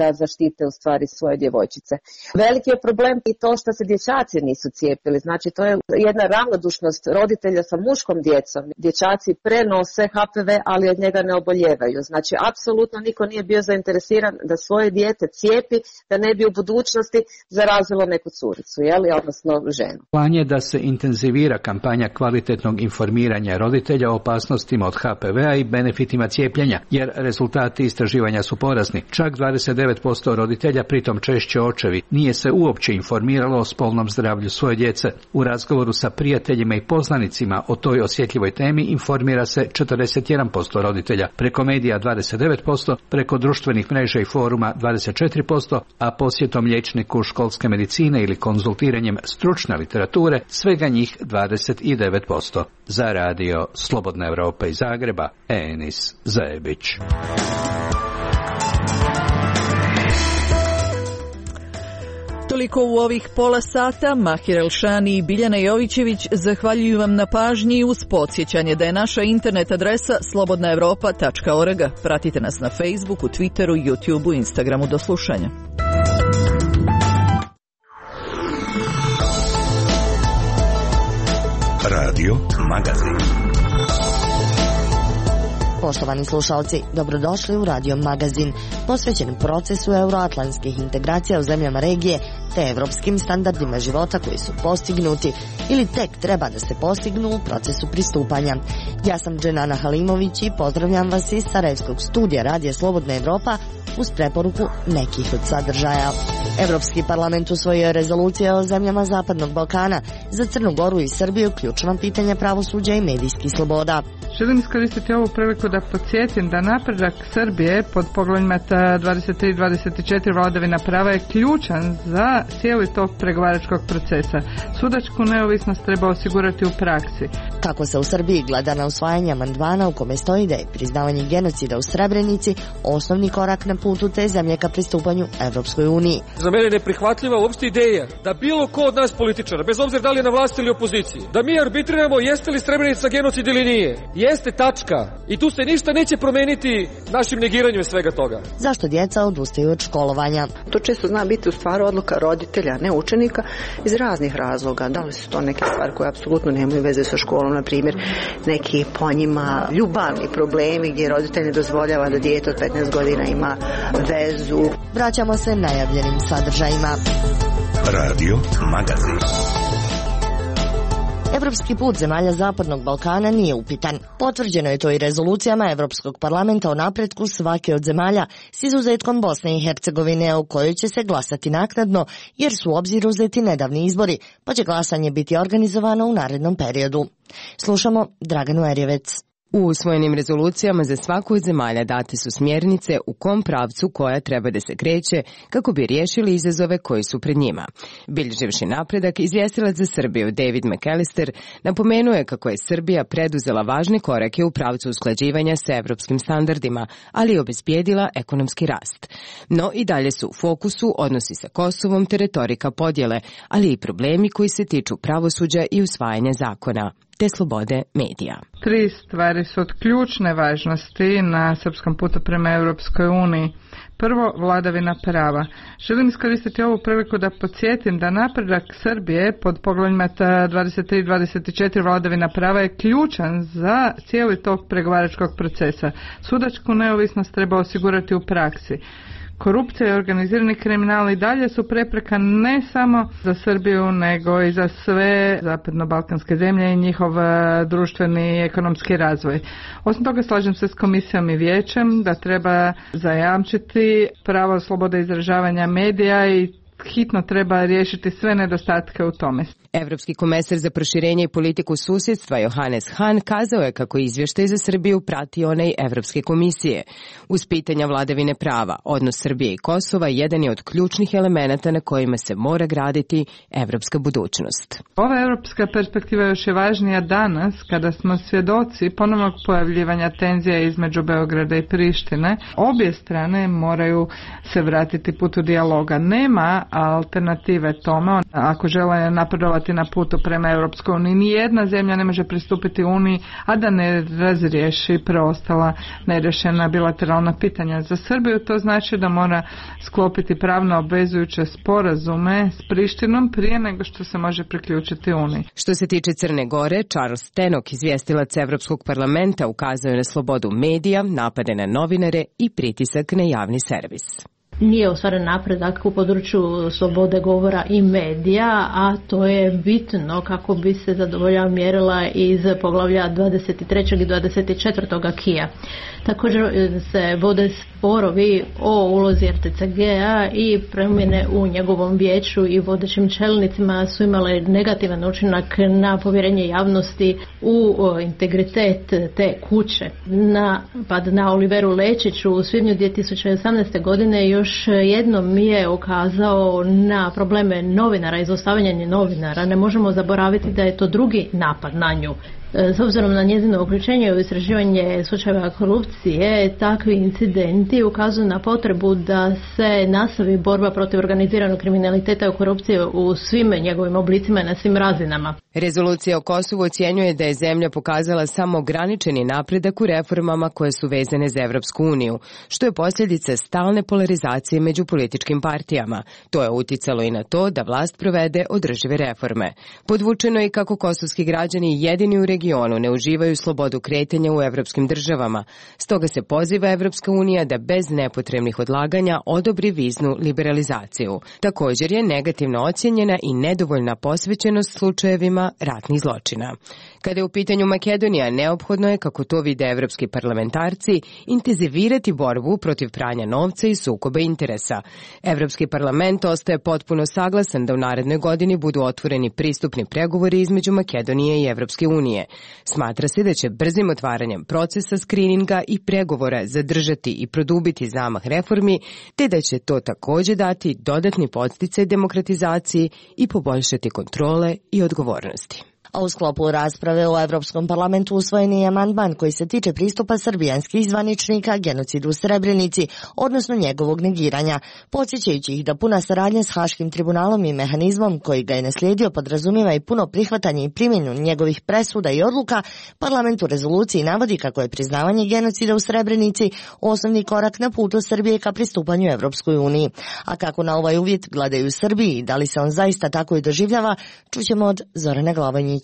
da zaštite u stvari svoje djevojčice. Veliki je problem i to što se dječaci nisu cijepili, znači to je jedna ravnodušnost roditelja sa muškom djecom. Dječaci prenose HPV, ali od njega ne oboljevaju. Znači, apsolutno niko nije bio zainteresiran da svoje dijete cijepi, da ne bi u budućnosti zarazilo neku curicu, odnosno ženu. Plan je da se intenzivira kampanja kvalitetnog informiranja roditelja o opasnostima od HPV-a i benefitima cijepljenja, jer rezultati istraživanja su porazni. Čak 29% roditelja, pritom češće očevi, nije se uopće informiralo o spolnom zdravlju svoje djece. U razgovoru sa prijateljima i poznanicima o toj osjetljivoj temi informira se 41% roditelja, preko medija 29%, preko društvenih mreža i foruma 24%, a posjetom liječniku školske medicine ili konzultiranjem stručne literature svega njih 29%. Za radio Slobodna Europa iz Zagreba, Enis Zajebić. Toliko u ovih pola sata. Mahir Elšani i Biljana Jovićević zahvaljuju vam na pažnji uz podsjećanje da je naša internet adresa slobodnaevropa.org. Pratite nas na Facebooku, Twitteru, YouTubeu, Instagramu. Do slušanja. Radio Magazin. Poštovani slušalci, dobrodošli u Radio Magazin, posvećen procesu euroatlantskih integracija u zemljama regije te evropskim standardima života koji su postignuti ili tek treba da se postignu u procesu pristupanja. Ja sam Dženana Halimović i pozdravljam vas iz Sarajevskog studija Radija Slobodna Evropa uz preporuku nekih od sadržaja. Evropski parlament usvojio je rezolucije o zemljama Zapadnog Balkana, za Crnu Goru i Srbiju ključna pitanja pravosuđa i medijskih sloboda. Želim iskoristiti ovu priliku da podsjetim da napredak Srbije pod poglavljima 23 i 24 vladavina prava je ključan za cijeli tok pregovaračkog procesa. Sudačku neovisnost treba osigurati u praksi. Kako se u Srbiji gleda na usvajanje amandmana u kome stoji da je priznavanje genocida u Srebrenici osnovni korak na putu te zemlje ka pristupanju Evropskoj uniji. Za mene je neprihvatljiva uopšte ideja da bilo ko od nas političara, bez obzira da li je na vlasti ili opoziciji, da mi arbitriramo jeste li Srebrenica genocid ili nije. Jeste, tačka. I tu se ništa neće promeniti našim negiranjem svega toga. Zašto djeca odustaju od školovanja? To često zna biti u stvari odluka roditelja, ne učenika, iz raznih razloga. Da li su to neke stvari koje apsolutno nemaju veze sa školom, na primjer neki po njima ljubavni problemi gdje roditelj ne dozvoljava da dijete od 15 godina ima vezu. Vraćamo se najavljenim sadržajima. Radio Magazin. Evropski put zemalja Zapadnog Balkana nije upitan. Potvrđeno je to i rezolucijama Evropskog parlamenta o napretku svake od zemalja s izuzetkom Bosne i Hercegovine, u kojoj će se glasati naknadno jer su u obzir uzeti nedavni izbori, pa će glasanje biti organizovano u narednom periodu. Slušamo Draganu Erjevec. U usvojenim rezolucijama za svaku od zemalja date su smjernice u kom pravcu koja treba da se kreće kako bi riješili izazove koji su pred njima. Bilježivši napredak, izvjestilac za Srbiju David McAllister napomenuo je kako je Srbija preduzela važne korake u pravcu usklađivanja sa evropskim standardima, ali i obezbijedila ekonomski rast. No i dalje su u fokusu odnosi sa Kosovom te retorika podjele, ali i problemi koji se tiču pravosuđa i usvajanja zakona te slobode medija. 3 stvari su od ključne važnosti na srpskom putu prema Europskoj uniji. Prvo, vladavina prava. Želim iskoristiti ovu priliku da podsjetim da napredak Srbije pod poglavljima 23 i 24 vladavina prava je ključan za cijeli tok pregovaračkog procesa. Sudačku neovisnost treba osigurati u praksi. Korupcija i organizirani kriminal i dalje su prepreka ne samo za Srbiju, nego i za sve zapadno-balkanske zemlje i njihov društveni i ekonomski razvoj. Osim toga, slažem se s komisijom i vijećem da treba zajamčiti pravo slobode izražavanja medija i hitno treba riješiti sve nedostatke u tome. Evropski komesar za proširenje i politiku susjedstva Johannes Hahn kazao je kako izvještaj za Srbiju prati onaj Evropske komisije. Uz pitanja vladavine prava, odnos Srbije i Kosova jedan je od ključnih elemenata na kojima se mora graditi evropska budućnost. Ova evropska perspektiva još je važnija danas kada smo svjedoci ponovnog pojavljivanja tenzija između Beograda i Prištine. Obje strane moraju se vratiti putu dijaloga. Nema alternative tome. Ako žele napredovati na putu prema Europskoj uniji, nijedna zemlja ne može pristupiti Uniji, a da ne razriješi preostala nerješena bilateralna pitanja. Za Srbiju to znači da mora sklopiti pravno obvezujuće sporazume s Prištinom prije nego što se može priključiti Uniji. Što se tiče Crne Gore, Charles Tenok, izvjestilac Evropskog parlamenta, ukazao je na slobodu medija, napade na novinare i pritisak na javni servis. Nije ostvaren napredak u području slobode govora i medija, a to je bitno kako bi se zadovoljila mjerila iz poglavlja 23. i 24. akija. Također se vode sporovi o ulozi RTCG-a i promjene u njegovom vijeću i vodećim čelnicima su imale negativan učinak na povjerenje javnosti u integritet te kuće. Napad na Oliveru Lečiću u svibnju 2018. godine još jednom je ukazao na probleme novinara i zlostavljanje novinara. Ne možemo zaboraviti da je to drugi napad na nju. S obzirom na njezino uključenje u istraživanje slučajeva korupcije, takvi incidenti ukazuju na potrebu da se nastavi borba protiv organiziranog kriminaliteta i korupcije u svim njegovim oblicima i na svim razinama. Rezolucija o Kosovu ocjenjuje da je zemlja pokazala samo ograničeni napredak u reformama koje su vezane za Evropsku uniju, što je posljedica stalne polarizacije među političkim partijama. To je uticalo i na to da vlast provede održive reforme. Podvučeno je kako kosovski građani jedini u regionu ne uživaju slobodu kretanja u evropskim državama. Stoga se poziva Evropska unija da bez nepotrebnih odlaganja odobri viznu liberalizaciju. Također je negativno ocjenjena i nedovoljna posvećenost slučajevima ratnih zločina. Kada je u pitanju Makedonija, neophodno je, kako to vide evropski parlamentarci, intenzivirati borbu protiv pranja novca i sukoba interesa. Evropski parlament ostaje potpuno saglasan da u narednoj godini budu otvoreni pristupni pregovori između Makedonije i Evropske unije. Smatra se da će brzim otvaranjem procesa skrininga i pregovora zadržati i produbiti zamah reformi, te da će to također dati dodatni podsticaj demokratizaciji i poboljšati kontrole i odgovornosti. A u sklopu rasprave u Europskom parlamentu usvojen je amandman koji se tiče pristupa srbijanskih zvaničnika genocidu u Srebrenici, odnosno njegovog negiranja, podsjećajući ih da puna saradnja s Haškim tribunalom i mehanizmom koji ga je naslijedio podrazumijeva i puno prihvatanje i primjenu njegovih presuda i odluka. Parlament u rezoluciji navodi kako je priznavanje genocida u Srebrenici osnovni korak na putu Srbije ka pristupanju Evropskoj uniji. A kako na ovaj uvjet gledaju u Srbiji i da li se on zaista tako i doživljava, čućemo od Zorana Glavanjića.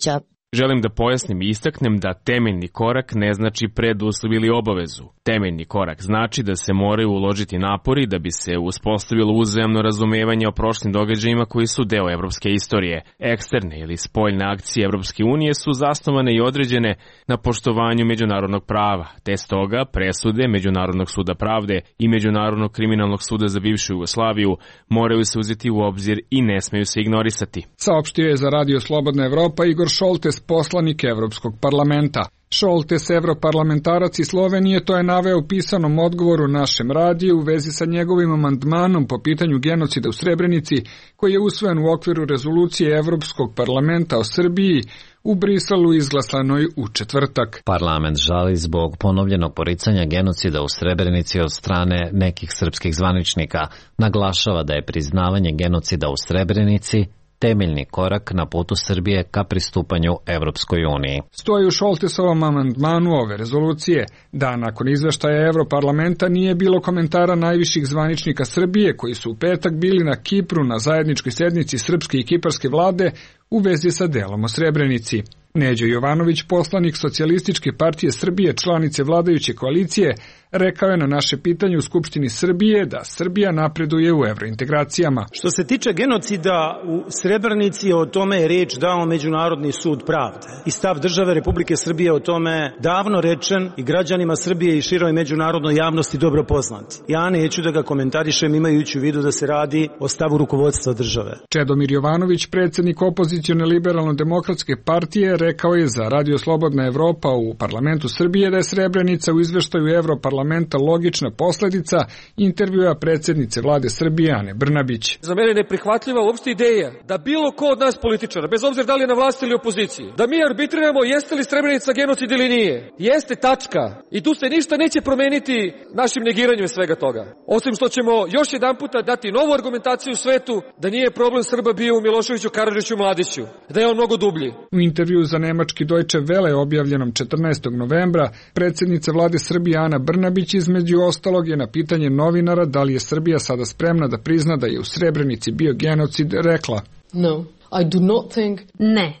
Želim da pojasnim i istaknem da temeljni korak ne znači preduslov ili obavezu. Temeljni korak znači da se moraju uložiti napori da bi se uspostavilo uzajamno razumevanje o prošlim događajima koji su deo evropske istorije. Eksterne ili spoljne akcije Evropske unije su zasnovane i određene na poštovanju međunarodnog prava, te stoga presude Međunarodnog suda pravde i Međunarodnog kriminalnog suda za bivšu Jugoslaviju moraju se uzeti u obzir i ne smeju se ignorisati. Saopštio je za Radio Slobodna Evropa Igor Šoltes, poslanik Evropskog parlamenta. Šoltes, europarlamentarac iz Slovenije, to je naveo u pisanom odgovoru našem radiju u vezi sa njegovim amandmanom po pitanju genocida u Srebrenici, koji je usvojen u okviru rezolucije Evropskog parlamenta o Srbiji u Briselu izglasanoj u četvrtak. Parlament žali zbog ponovljenog poricanja genocida u Srebrenici od strane nekih srpskih zvaničnika. Naglašava da je priznavanje genocida u Srebrenici temeljni korak na putu Srbije ka pristupanju Evropskoj uniji. Stoji u Šoltesovom amandmanu ove rezolucije da nakon izveštaja Evroparlamenta nije bilo komentara najviših zvaničnika Srbije koji su u petak bili na Kipru na zajedničkoj sjednici srpske i kiparske vlade u vezi sa delom o Srebrenici. Neđo Jovanović, poslanik Socijalističke partije Srbije, članice vladajuće koalicije, rekao je na naše pitanje u Skupštini Srbije da Srbija napreduje u evrointegracijama. Što se tiče genocida u Srebrenici, o tome je riječ dao Međunarodni sud pravde. I stav države Republike Srbije o tome davno rečen i građanima Srbije i široj međunarodnoj javnosti dobro poznat. Ja neću da ga komentarišem imajući u vidu da se radi o stavu rukovodstva države. Čedomir Jovanović, predsjednik opozicione liberalno-demokratske partije, rekao je za Radio Slobodna Evropa u parlamentu Srbije da je Srebrenica u izveštaju Evroparlamenta logična posledica intervjua predsjednice vlade Srbije Ane Brnabić. Za mene neprihvatljiva uopšte ideja da bilo ko od nas političara, bez obzira da li je na vlasti ili opoziciji, da mi arbitriramo jeste li Srebrenica genocid ili nije. Jeste, tačka. I tu se ništa neće promeniti našim negiranjem svega toga. Osim što ćemo još jedanputa dati novu argumentaciju u svetu da nije problem Srba bio u Miloševiću, Karadžiću i Mladiću, da je on mnogo dublji. U intervju za nemački Deutsche Welle objavljenom 14. novembra predsjednica vlade Srbije Ana Brnabić između ostalog je na pitanje novinara da li je Srbija sada spremna da prizna da je u Srebrenici bio genocid rekla: No.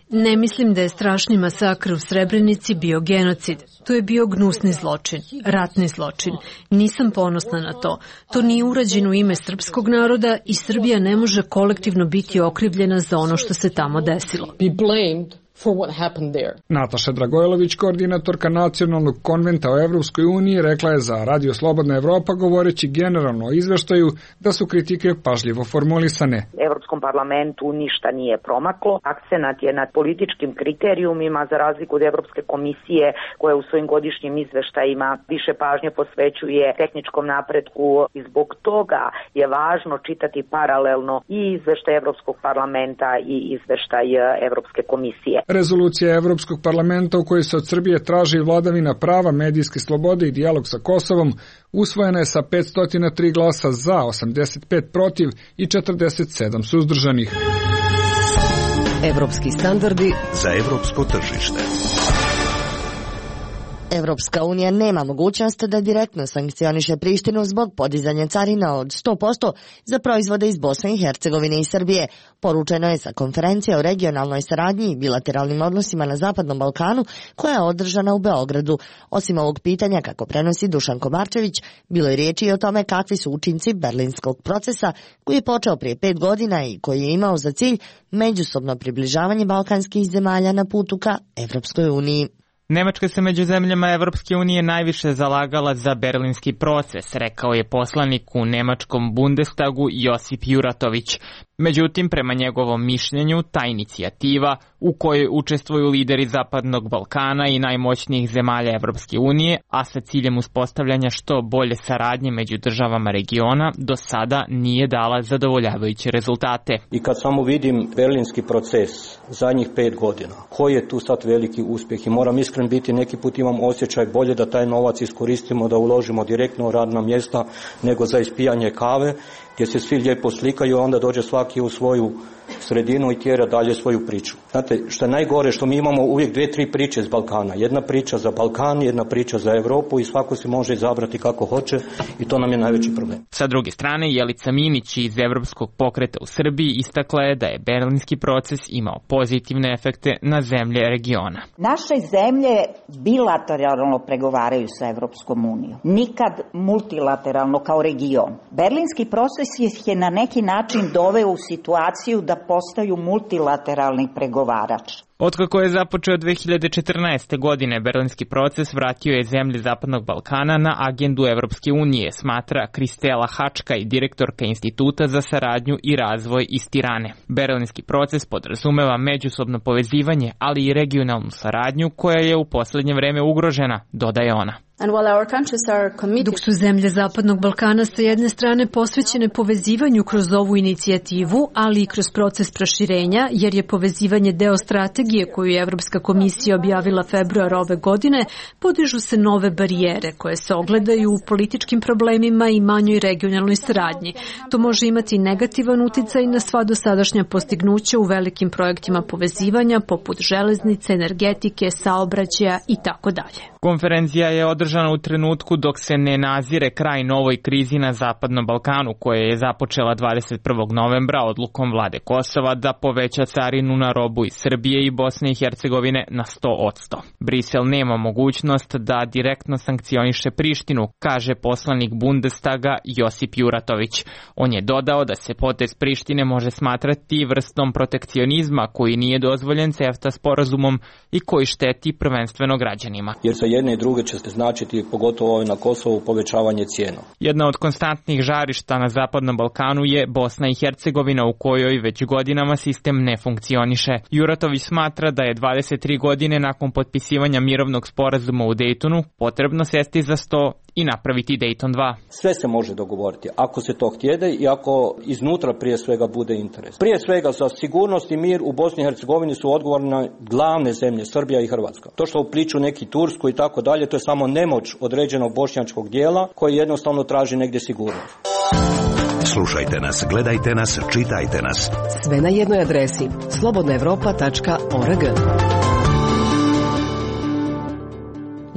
Ne mislim da je strašni masakr u Srebrenici bio genocid. To je bio gnusni zločin, ratni zločin. Nisam ponosna na to. To nije urađeno u ime srpskog naroda i Srbija ne može kolektivno biti okrivljena za ono što se tamo desilo. Nataša Dragojlović, koordinatorka Nacionalnog konventa o Evropskoj uniji, rekla je za Radio Slobodna Evropa govoreći generalno o izveštaju da su kritike pažljivo formulisane. Evropskom parlamentu ništa nije promaklo. Akcenat je nad političkim kriterijumima za razliku od Evropske komisije koja u svojim godišnjim izveštajima više pažnje posvećuje tehničkom napretku i zbog toga je važno čitati paralelno i izveštaj Evropskog parlamenta i izveštaj Evropske komisije. Rezolucija Evropskog parlamenta u kojoj se od Srbije traži vladavina prava, medijske slobode i dijalog sa Kosovom usvojena je sa 503 glasa za, 85 protiv i 47 suzdržanih. Evropski standardi za evropsko tržište. Evropska unija nema mogućnost da direktno sankcioniše Prištinu zbog podizanja carina od 100% za proizvode iz Bosne i Hercegovine i Srbije. Poručeno je sa konferencije o regionalnoj saradnji i bilateralnim odnosima na Zapadnom Balkanu koja je održana u Beogradu. Osim ovog pitanja, kako prenosi Dušan Komarčević, bilo je riječi i o tome kakvi su učinci berlinskog procesa koji je počeo prije 5 godina i koji je imao za cilj međusobno približavanje balkanskih zemalja na putu ka Evropskoj uniji. Nemačka se među zemljama Evropske unije najviše zalagala za berlinski proces, rekao je poslanik u nemačkom Bundestagu Josip Juratović. Međutim, prema njegovom mišljenju, ta inicijativa u kojoj učestvuju lideri Zapadnog Balkana i najmoćnijih zemalja Evropske unije, a sa ciljem uspostavljanja što bolje saradnje među državama regiona, do sada nije dala zadovoljavajuće rezultate. I kad samo vidim berlinski proces zadnjih 5 godina, koji je tu sad veliki uspjeh i moram iskreno biti, neki put imam osjećaj bolje da taj novac iskoristimo, da uložimo direktno u radna mjesta nego za ispijanje kave, gdje se svi lijepo slikaju, a onda dođe svaki u svoju sredinu i tjera dalje svoju priču. Znate, što je najgore, što mi imamo uvijek 2-3 priče iz Balkana. Jedna priča za Balkan, jedna priča za Europu i svako si može izabrati kako hoće i to nam je najveći problem. Sa druge strane, Jelica Minić iz Evropskog pokreta u Srbiji istakla je da je berlinski proces imao pozitivne efekte na zemlje regiona. Naše zemlje bilateralno pregovaraju sa Evropskom unijom, nikad multilateralno kao region. Berlinski proces je na neki način doveo u situaciju da postaju multilateralni pregovarač. Otkako je započeo 2014. godine, berlinski proces vratio je zemlje Zapadnog Balkana na agendu Evropske unije, smatra Kristela Hačka i direktorka Instituta za saradnju i razvoj iz Tirane. Berlinski proces podrazumeva međusobno povezivanje, ali i regionalnu saradnju koja je u posljednje vreme ugrožena, dodaje ona. Dok su zemlje Zapadnog Balkana sa jedne strane posvećene povezivanju kroz ovu inicijativu, ali i kroz proces proširenja, jer je povezivanje deo strategije koju je Evropska komisija objavila februara ove godine, podižu se nove barijere koje se ogledaju u političkim problemima i manjoj regionalnoj saradnji. To može imati negativan uticaj na sva dosadašnja postignuća u velikim projektima povezivanja poput železnice, energetike, saobraćaja i tako dalje. Konferencija je održana u trenutku dok se ne nazire kraj novoj krizi na Zapadnom Balkanu, koja je započela 21. novembra odlukom vlade Kosova da poveća carinu na robu iz Srbije i Bosne i Hercegovine na 100%. Brisel nema mogućnost da direktno sankcioniše Prištinu, kaže poslanik Bundestaga Josip Juratović. On je dodao da se potez Prištine može smatrati vrstom protekcionizma koji nije dozvoljen CEFTA sporazumom i koji šteti prvenstveno građanima. Jer za jedne i druge će znači značiti, pogotovo na Kosovu, povećavanje cijena. Jedna od konstantnih žarišta na Zapadnom Balkanu je Bosna i Hercegovina, u kojoj već godinama sistem ne funkcioniše. Juratović smatra da je 23 godine nakon potpisivanja mirovnog sporazuma u Dejtonu potrebno sesti za sto i napraviti Dejton 2. Sve se može dogovoriti, ako se to htjede i ako iznutra prije svega bude interes. Prije svega za sigurnost i mir u Bosni i Hercegovini su odgovorne glavne zemlje, Srbija i Hrvatska. To što upliču neki Tursku i tako dalje, to je samo nemoć određenog bošnjačkog dijela koji jednostavno traži negdje sigurnost. Slušajte nas, gledajte nas, čitajte nas. Sve na jednoj adresi slobodnaevropa.org.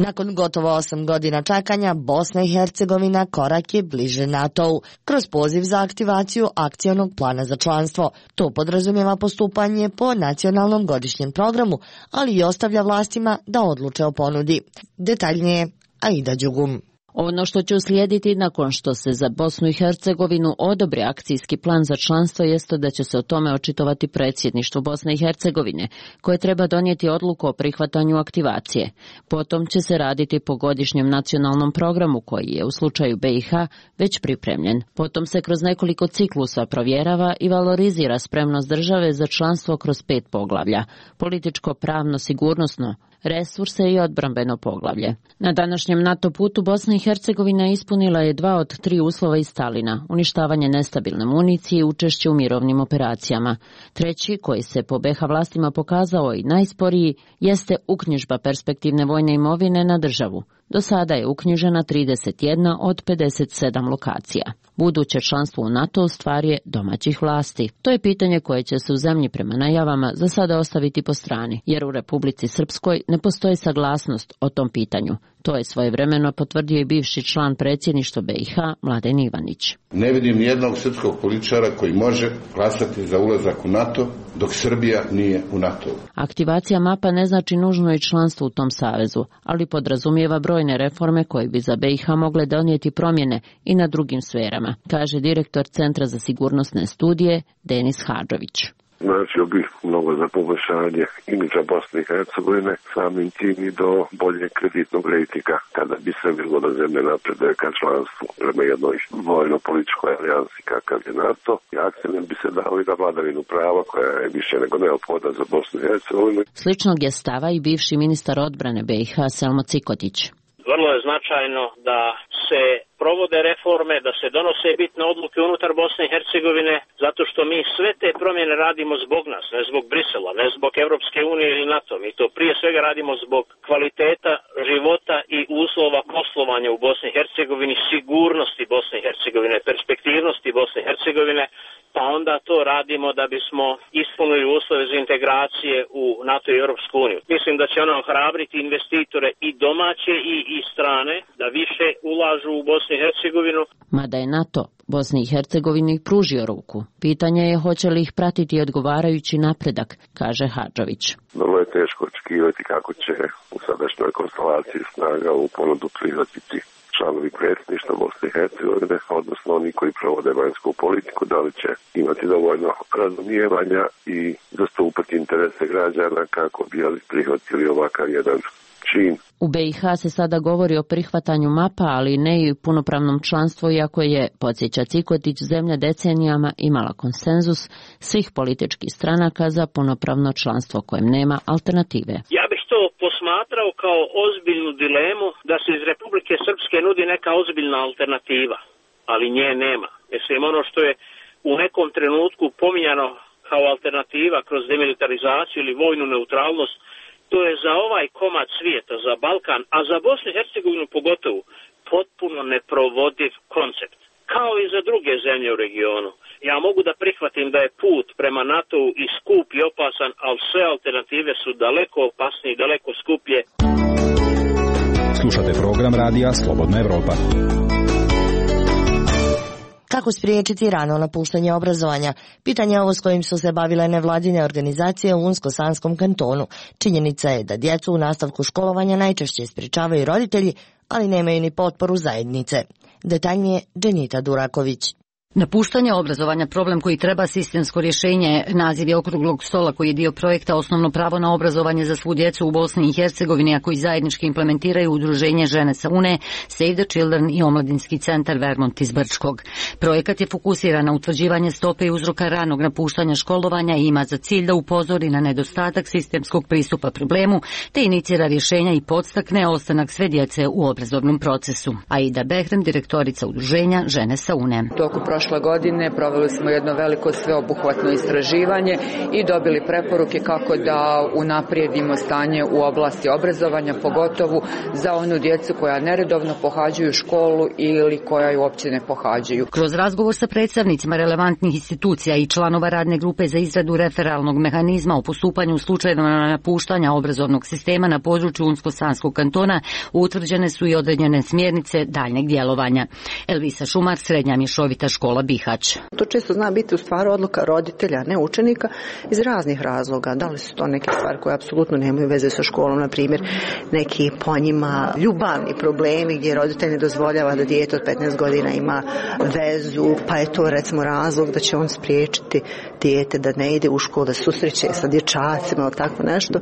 Nakon gotovo 8 godina čekanja, Bosna i Hercegovina korak je bliže NATO-u kroz poziv za aktivaciju akcionog plana za članstvo. To podrazumijeva postupanje po nacionalnom godišnjem programu, ali i ostavlja vlastima da odluče o ponudi. Detaljnije, Aida Đugum. Ono što će uslijediti nakon što se za Bosnu i Hercegovinu odobri akcijski plan za članstvo jeste da će se o tome očitovati predsjedništvo Bosne i Hercegovine, koje treba donijeti odluku o prihvatanju aktivacije. Potom će se raditi po godišnjem nacionalnom programu koji je u slučaju BiH već pripremljen. Potom se kroz nekoliko ciklusa provjerava i valorizira spremnost države za članstvo kroz 5 poglavlja: političko, pravno, sigurnosno, resurse i odbrambeno poglavlje. Na današnjem NATO putu Bosna i Hercegovina ispunila je 2 od 3 uslova iz Stalina: uništavanje nestabilne municije i učešće u mirovnim operacijama. Treći, koji se po BiH vlastima pokazao i najsporiji, jeste uknjižba perspektivne vojne imovine na državu. Do sada je uknjižena 31 od 57 lokacija. Buduće članstvo u NATO stvar je domaćih vlasti. To je pitanje koje će se u zemlji prema najavama za sada ostaviti po strani, jer u Republici Srpskoj ne postoji saglasnost o tom pitanju. To je svojevremeno potvrdio i bivši član predsjedništva BiH Mladen Ivanić. Ne vidim nijednog srpskog političara koji može glasati za ulazak u NATO dok Srbija nije u NATO. Aktivacija mapa ne znači nužno i članstvo u tom savezu, ali podrazumijeva brojne reforme koje bi za BiH mogle donijeti promjene i na drugim sferama, kaže direktor Centra za sigurnosne studije Denis Hadžović. Značio bih mnogo za poboljšanje imidža Bosne i Hercegovine, samim tim i do bolje kreditnog rejtinga, kada bi se bilo da zemlje napreduje ka članstvu prema jednoj vojno-političkoj alijansi kakav je NATO. I akcent bi se dao i na vladavinu prava koja je više nego neophodna za Bosnu i Hercegovinu. Sličnog je stava i bivši ministar odbrane BiH Selmo Cikotić. Vrlo je značajno da se provode reforme, da se donose bitne odluke unutar Bosne i Hercegovine, zato što mi sve te promjene radimo zbog nas, ne zbog Brisela, ne zbog Europske unije ili NATO. Mi to prije svega radimo zbog kvaliteta života i uslova poslovanja u Bosni i Hercegovini, sigurnosti Bosne i Hercegovine, perspektivnosti Bosne i Hercegovine, pa onda to radimo da bismo ispunili uslove za integracije u NATO i Europsku uniju. Mislim da će ono ohrabriti investitore i domaće i strane da više ulažu u Bosnu i Hercegovinu. Mada je NATO Bosni i Hercegovini pružio ruku, pitanje je hoće li ih pratiti odgovarajući napredak, kaže Hadžović. Vrlo je teško očekivati kako će u sadašnjoj konstelaciji snaga u ponudu prihvatiti članovi predsjedništva Bosne i Hercegovine, odnosno oni koji provode vanjsku politiku, da li će imati dovoljno razumijevanja i zastupati interese građana kako bi prihvatili ovakav jedan čin. U BiH se sada govori o prihvatanju mapa, ali ne i punopravnom članstvu, iako je, podsjeća Cikotić, zemlja decenijama imala konsenzus svih političkih stranaka za punopravno članstvo kojem nema alternative. Ja bih to posmatrao kao ozbiljnu dilemu da se iz Republike Srpske nudi neka ozbiljna alternativa, ali nje nema. Mislim, ono što je u nekom trenutku pominjano kao alternativa kroz demilitarizaciju ili vojnu neutralnost, to je za ovaj komad svijeta, za Balkan, a za Bosnu i Hercegovinu pogotovo, potpuno neprovodiv koncept. Kao i za druge zemlje u regionu. Ja mogu da prihvatim da je put prema NATO-u i skup i opasan, ali sve alternative su daleko opasnije i daleko skuplje. Slušate program radija Slobodna Evropa. Kako spriječiti rano napuštanje obrazovanja? Pitanje je ovo s kojim su se bavile nevladine organizacije u Unsko-Sanskom kantonu. Činjenica je da djecu u nastavku školovanja najčešće sprječavaju roditelji, ali nemaju ni potporu zajednice. Detaljnije Dženita Duraković. Napuštanje obrazovanja, problem koji treba sistemsko rješenje, naziv je okruglog stola koji je dio projekta Osnovno pravo na obrazovanje za svu djecu u Bosni i Hercegovini, a koji zajednički implementiraju Udruženje Žene sa Une, Save the Children i Omladinski centar Vermont iz Brčkog. Projekat je fokusiran na utvrđivanje stope i uzroka ranog napuštanja školovanja i ima za cilj da upozori na nedostatak sistemskog pristupa problemu, te inicira rješenja i podstakne ostanak sve djece u obrazovnom procesu. Aida Behrem, direktorica Udruženja Žene sa Une. Prošle godine proveli smo jedno veliko sveobuhvatno istraživanje i dobili preporuke kako da unaprijedimo stanje u oblasti obrazovanja, pogotovo za onu djecu koja neredovno pohađaju školu ili koja ju uopće ne pohađaju. Kroz razgovor sa predstavnicima relevantnih institucija i članova radne grupe za izradu referalnog mehanizma o postupanju u slučajevima napuštanja obrazovnog sistema na području Unsko-Sanskog kantona utvrđene su i određene smjernice daljnjeg djelovanja. Elvisa Šumar, srednja mješovita škola Bihać. To često zna biti u stvari odluka roditelja, ne učenika, iz raznih razloga. Da li su to neke stvari koje apsolutno nemaju veze sa školom, na primjer neki po njima ljubavni problemi gdje roditelj ne dozvoljava da dijete od 15 godina ima vezu, pa je to recimo razlog da će on spriječiti dijete da ne ide u školu, da susreće sa dječacima ili tako nešto.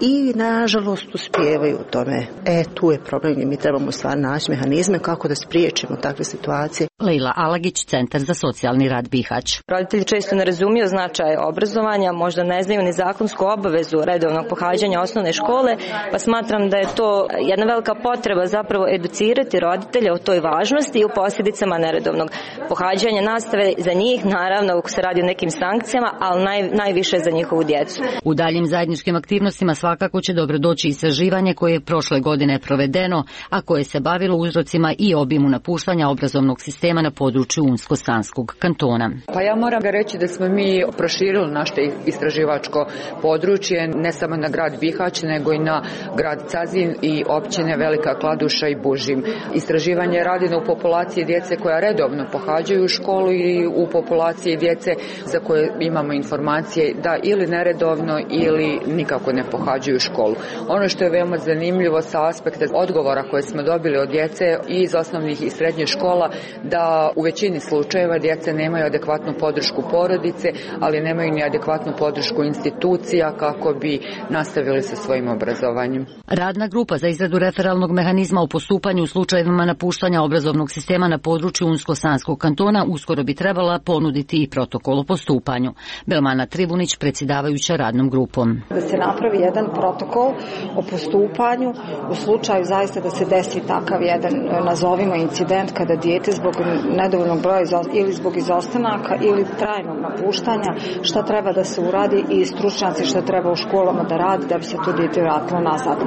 I nažalost uspijevaju u tome. Tu je problem gdje mi trebamo stvarno naći mehanizme kako da spriječimo takve situacije. Lejla Alagić, Centar za socijalni rad Bihać. Roditelji često ne razumiju značaj obrazovanja, možda ne znaju ni zakonsku obavezu redovnog pohađanja osnovne škole, pa smatram da je to jedna velika potreba zapravo educirati roditelje o toj važnosti i o posljedicama neredovnog pohađanja nastave za njih, naravno ako se radi o nekim sankcijama, ali najviše za njihovu djecu. U daljim zajedničkim aktivnostima svakako će dobro doći istraživanje koje je prošle godine provedeno, a koje se bavilo uzrocima i obimu napuštanja obrazovnog sistema na području Unsko-Sanskog kantona. Pa ja moram reći da smo mi proširili naše istraživačko područje ne samo na grad Bihać, nego i na grad Cazin i općine Velika Kladuša i Bužim. Istraživanje je rađeno u populaciji djece koja redovno pohađaju školu i u populaciji djece za koje imamo informacije da ili neredovno ili nikako ne pohađaju školu. Ono što je veoma zanimljivo sa aspekta odgovora koje smo dobili od djece i iz osnovnih i srednjih škola, da u većini slučajeva djeca nemaju adekvatnu podršku porodice, ali nemaju ni adekvatnu podršku institucija kako bi nastavili sa svojim obrazovanjem. Radna grupa za izradu referalnog mehanizma o postupanju u slučajevima napuštanja obrazovnog sistema na području Unsko-Sanskog kantona uskoro bi trebala ponuditi i protokol o postupanju. Belmana Trivunić, predsjedavajuća radnom grupom. Da se napravi jedan protokol o postupanju u slučaju zaista da se desi takav jedan, nazovimo, incident kada dijete zbog nedovoljnog broja ili zbog izostanaka ili trajnog napuštanja, šta treba da se uradi i stručnjaci šta treba u školama da radi da bi se to dijete vratilo nazad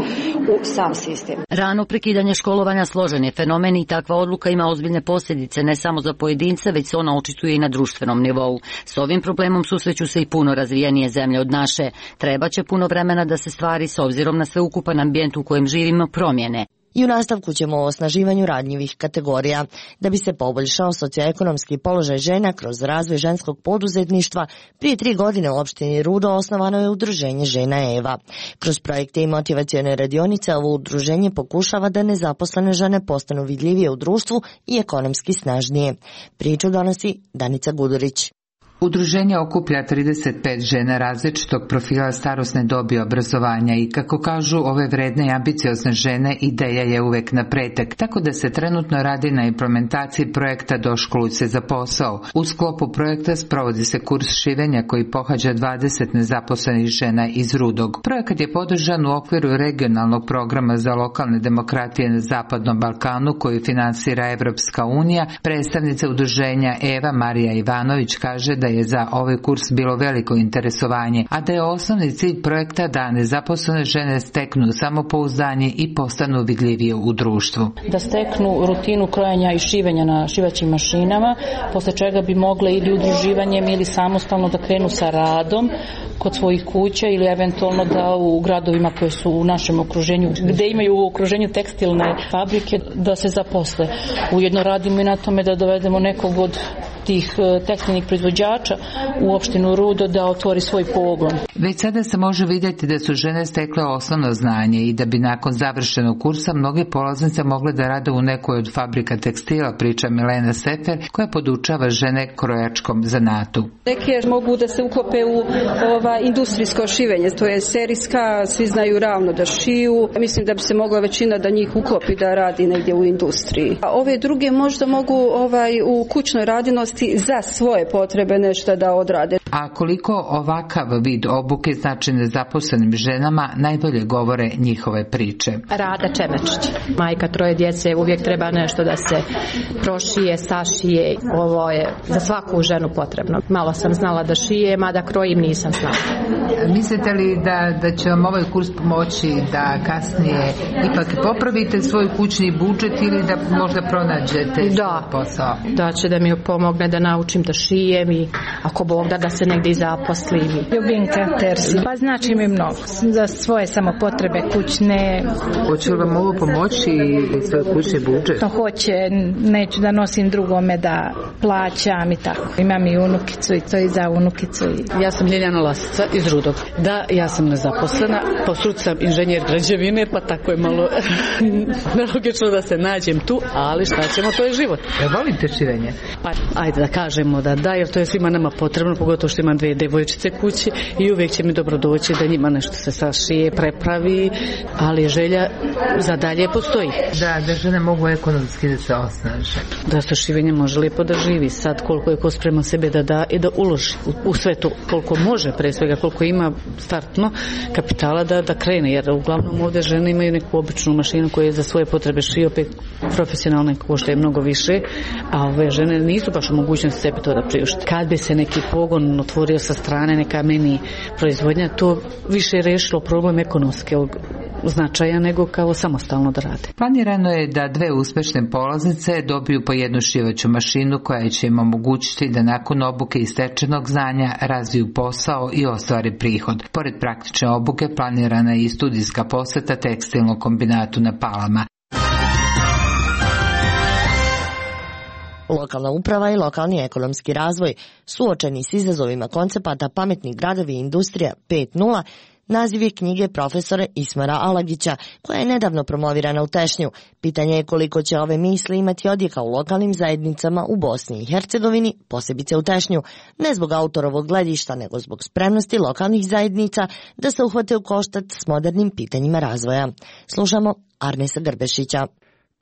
u sam sistem. Rano prekidanje školovanja složen je fenomen i takva odluka ima ozbiljne posljedice ne samo za pojedince, već se ona očituje i na društvenom nivou. S ovim problemom susreću se i puno razvijenije zemlje od naše. Trebaće puno vremena da se stvari s obzirom na sveukupan ambijent u kojem živimo promijene. I u nastavku ćemo o osnaživanju ranjivih kategorija. Da bi se poboljšao socioekonomski položaj žena kroz razvoj ženskog poduzetništva, prije 3 godine u opštini Rudo osnovano je Udruženje Žena Eva. Kroz projekte i motivacione radionice ovo udruženje pokušava da nezaposlene žene postanu vidljivije u društvu i ekonomski snažnije. Priču donosi Danica Gudurić. Udruženje okuplja 35 žena različitog profila, starosne dobi, obrazovanja i, kako kažu ove vredne i ambiciozne žene, ideja je uvek na pretek, tako da se trenutno radi na implementaciji projekta Doškoluj se za posao. U sklopu projekta sprovodi se kurs šivenja koji pohađa 20 nezaposlenih žena iz Rudog. Projekat je podržan u okviru regionalnog programa za lokalne demokratije na Zapadnom Balkanu koji finansira Evropska unija. Predstavnica udruženja Eva Marija Ivanović kaže da je za ovaj kurs bilo veliko interesovanje, a da je osnovni cilj projekta da nezaposlene žene steknu samopouzdanje i postanu vidljivije u društvu. Da steknu rutinu krojenja i šivenja na šivaćim mašinama, posle čega bi mogle ili udruživanjem ili samostalno da krenu sa radom kod svojih kuća ili eventualno da u gradovima koje su u našem okruženju, gde imaju u okruženju tekstilne fabrike, da se zaposle. Ujedno radimo i na tome da dovedemo nekog od tih tekstilnih proizvođača u opštinu Rudo da otvori svoj pogon. Već sada se može vidjeti da su žene stekle osnovno znanje i da bi nakon završenog kursa mnoge polaznice mogle da rade u nekoj od fabrika tekstila, priča Milena Sefer, koja podučava žene krojačkom zanatu. Neke mogu da se uklope u industrijsko šivenje, to je serijska, svi znaju ravno da šiju. Mislim da bi se mogla većina da njih uklopi da radi negdje u industriji. A ove druge možda mogu u kućnoj radinosti za svoje potrebe nešto da odrade. A koliko ovakav vid obuke znači nezaposlenim ženama, najbolje govore njihove priče. Rada Čemečić. Majka 3 djece, uvijek treba nešto da se prošije, sašije. Ovo je za svaku ženu potrebno. Malo sam znala da šije, mada krojim nisam znala. Mislite li da će vam ovaj kurs pomoći da kasnije ipak popravite svoj kućni budžet ili da možda pronađete posao? Da će da mi pomogne da naučim da šijem i ako Bog da se negdje i zaposlim. Ljubinka Terzi. Pa znači mi mnogo. Za svoje samo potrebe kućne. Hoće li vam ovo pomoći i svoj kućni budžet? To hoće. Neću da nosim drugome da plaćam i tako. Imam i unukicu i to i za unukicu. Ja sam Ljiljana Lasica iz Rudog. Da, ja sam nezaposlena. Po struci sam inženjer građevine, pa tako je malo nelogično da se nađem tu, ali šta ćemo, to je život. Volite šivenje? Pa ajde da kažemo da, jer to je svima nama potrebno, pogotovo što imam 2 devojčice kući i uvijek će mi dobro doći da njima nešto se sašije, prepravi, ali želja za dalje postoji. Da žene mogu ekonomski da se osnaže. Da se šivenje može lijepo da živi. Sad koliko je ko sprema sebe da da i da uloži u sve to, koliko može, pre svega koliko ima startno kapitala da krene, jer uglavnom ovdje žene imaju neku običnu mašinu koja je za svoje potrebe šije, opet profesionalne košta je mnogo više, a ove žene nisu baš u mogućnosti sebi to da priušte. Kad bi se neki pogon otvorio sa strane, neka mini proizvodnja, to više je rešilo problem ekonomskog značaja nego kao samostalno da rade. Planirano je da 2 uspešne polaznice dobiju po jednu šivaću mašinu koja će im omogućiti da nakon obuke i stečenog znanja razviju posao i ostvare prihod. Pored praktične obuke planirana je i studijska poseta tekstilnom kombinatu na Palama. Lokalna uprava i lokalni ekonomski razvoj suočeni s izazovima koncepata Pametni gradovi i industrija 5.0, naziv je knjige profesora Ismara Alagića, koja je nedavno promovirana u Tešnju. Pitanje je koliko će ove misli imati odjeka u lokalnim zajednicama u Bosni i Hercegovini, posebice u Tešnju, ne zbog autorovog gledišta, nego zbog spremnosti lokalnih zajednica da se uhvate u koštac s modernim pitanjima razvoja. Slušamo Arnesa Grbešića.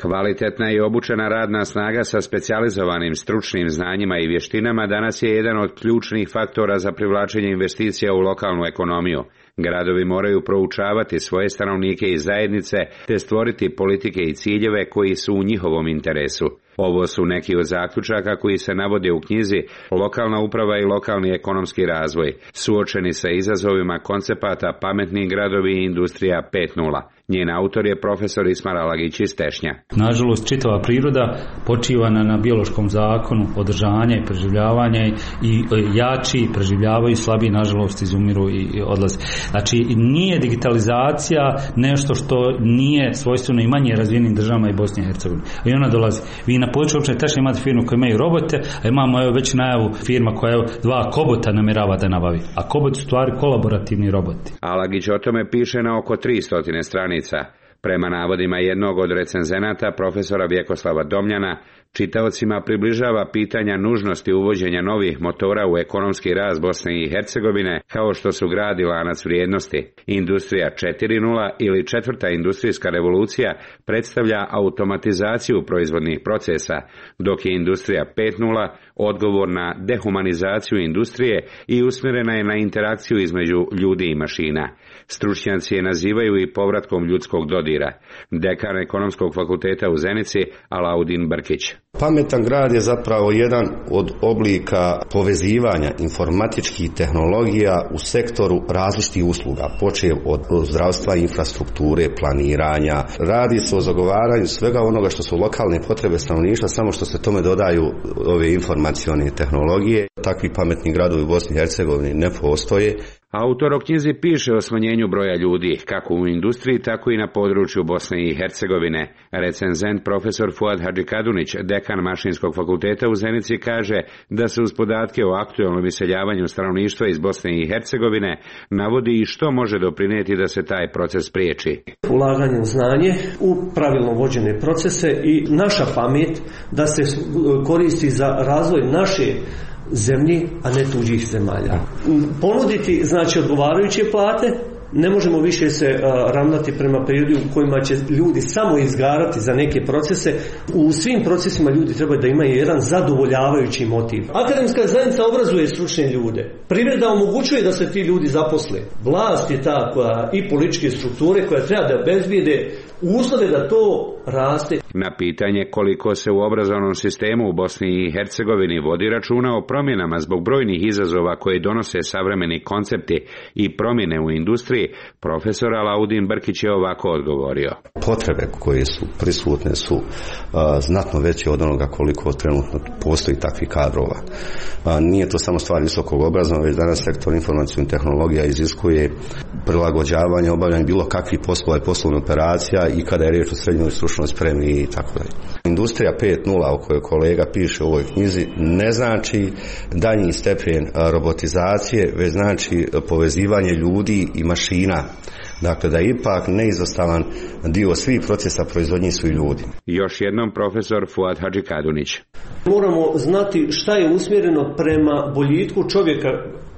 Kvalitetna i obučena radna snaga sa specijalizovanim stručnim znanjima i vještinama danas je jedan od ključnih faktora za privlačenje investicija u lokalnu ekonomiju. Gradovi moraju proučavati svoje stanovnike i zajednice te stvoriti politike i ciljeve koji su u njihovom interesu. Ovo su neki od zaključaka koji se navode u knjizi Lokalna uprava i lokalni ekonomski razvoj, suočeni sa izazovima koncepata Pametni gradovi i industrija 5.0. Njen autor je profesor Ismar Alagić iz Tešnja. Nažalost, čitava priroda počiva na biološkom zakonu održanja i preživljavanja i jači preživljavaju, slabiji nažalost izumiru i odlaze. Znači, nije digitalizacija nešto što nije svojstveno i manje razvijenim državama i Bosni i Hercegovini. I ona dolazi. Vi na području općine Tešnja imate firmu koja imaju robote, a imamo već najavu firma koja 2 kobota namjerava da nabavi. A kobot su stvari kolaborativni roboti. Alagić o tome piše na oko 300 stranica. Prema navodima jednog od recenzenata, profesora Vjekoslava Domljana, čitaocima približava pitanja nužnosti uvođenja novih motora u ekonomski rast Bosne i Hercegovine, kao što su grad i lanac vrijednosti. Industrija 4.0 ili 4. industrijska revolucija predstavlja automatizaciju proizvodnih procesa, dok je industrija 5.0 odgovor na dehumanizaciju industrije i usmjerena je na interakciju između ljudi i mašina. Stručnjaci je nazivaju i povratkom ljudskog dodira. Dekan Ekonomskog fakulteta u Zenici, Alaudin Brkić. Pametan grad je zapravo jedan od oblika povezivanja informatičkih tehnologija u sektoru različitih usluga, počev od zdravstva, infrastrukture, planiranja. Radi se o zagovaranju svega onoga što su lokalne potrebe stanovništva, samo što se tome dodaju ove informacione tehnologije. Takvi pametni gradovi u Bosni i Hercegovini ne postoje. Autor o knjizi piše o smanjenju broja ljudi, kako u industriji, tako i na području Bosne i Hercegovine. Recenzent profesor Fuad Hadžikadunić, dekan Mašinskog fakulteta u Zenici, kaže da se uz podatke o aktualnom iseljavanju stanovništva iz Bosne i Hercegovine navodi i što može doprinijeti da se taj proces spriječi. Ulaganje u znanje, u pravilno vođene procese i naša pamet da se koristi za razvoj naše zemlji, a ne tuđih zemalja. Ponuditi, znači, odgovarajuće plate, ne možemo više se ravnati prema periodu u kojima će ljudi samo izgarati za neke procese. U svim procesima ljudi trebaju da imaju jedan zadovoljavajući motiv. Akademska zajednica obrazuje stručne ljude. Privreda omogućuje da se ti ljudi zaposle. Vlast je ta koja i političke strukture koja treba da obezbijede uslove da to raste. Na pitanje koliko se u obrazovnom sistemu u Bosni i Hercegovini vodi računa o promjenama zbog brojnih izazova koje donose savremeni koncepti i promjene u industriji, profesor Alaudin Brkić je ovako odgovorio. Potrebe koje su prisutne su znatno veće od onoga koliko trenutno postoji takvih kadrova. Nije to samo stvar visokog obrazovanja, već danas sektor informacijskih tehnologija iziskuje prilagođavanje, obavljanje bilo kakvih poslova i poslovnih operacija i kada je riječ o srednjoj stručnoj spremi i tako dalje. Industrija 5.0 o kojoj kolega piše u ovoj knjizi ne znači daljnji stepen robotizacije, već znači povezivanje ljudi i mašina. Dakle, da je ipak neizostavan dio svih procesa proizvodnje su i ljudi. Još jednom profesor Fuad Hadžikadunić. Moramo znati šta je usmjereno prema boljitku čovjeka,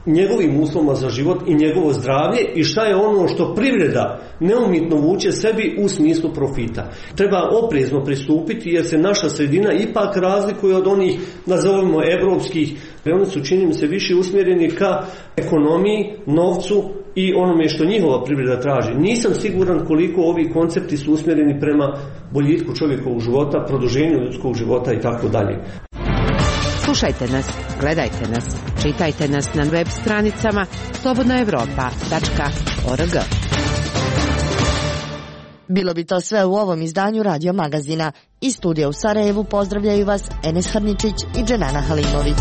njegovim uslovima za život i njegovo zdravlje i šta je ono što privreda neumitno vuče sebi u smislu profita. Treba oprezno pristupiti jer se naša sredina ipak razlikuje od onih, nazovimo, evropskih. Oni su, čini mi se, više usmjereni ka ekonomiji, novcu i onome što njihova privreda traži. Nisam siguran koliko ovi koncepti su usmjereni prema boljitku čovjekovog života, produženju ljudskog života i tako dalje. Slušajte nas, gledajte nas, čitajte nas na web stranicama slobodnaevropa.org. Bilo bi to sve u ovom izdanju Radio Magazina. Iz studija u Sarajevu pozdravljaju vas Enes Harničić i Dženana Halimović.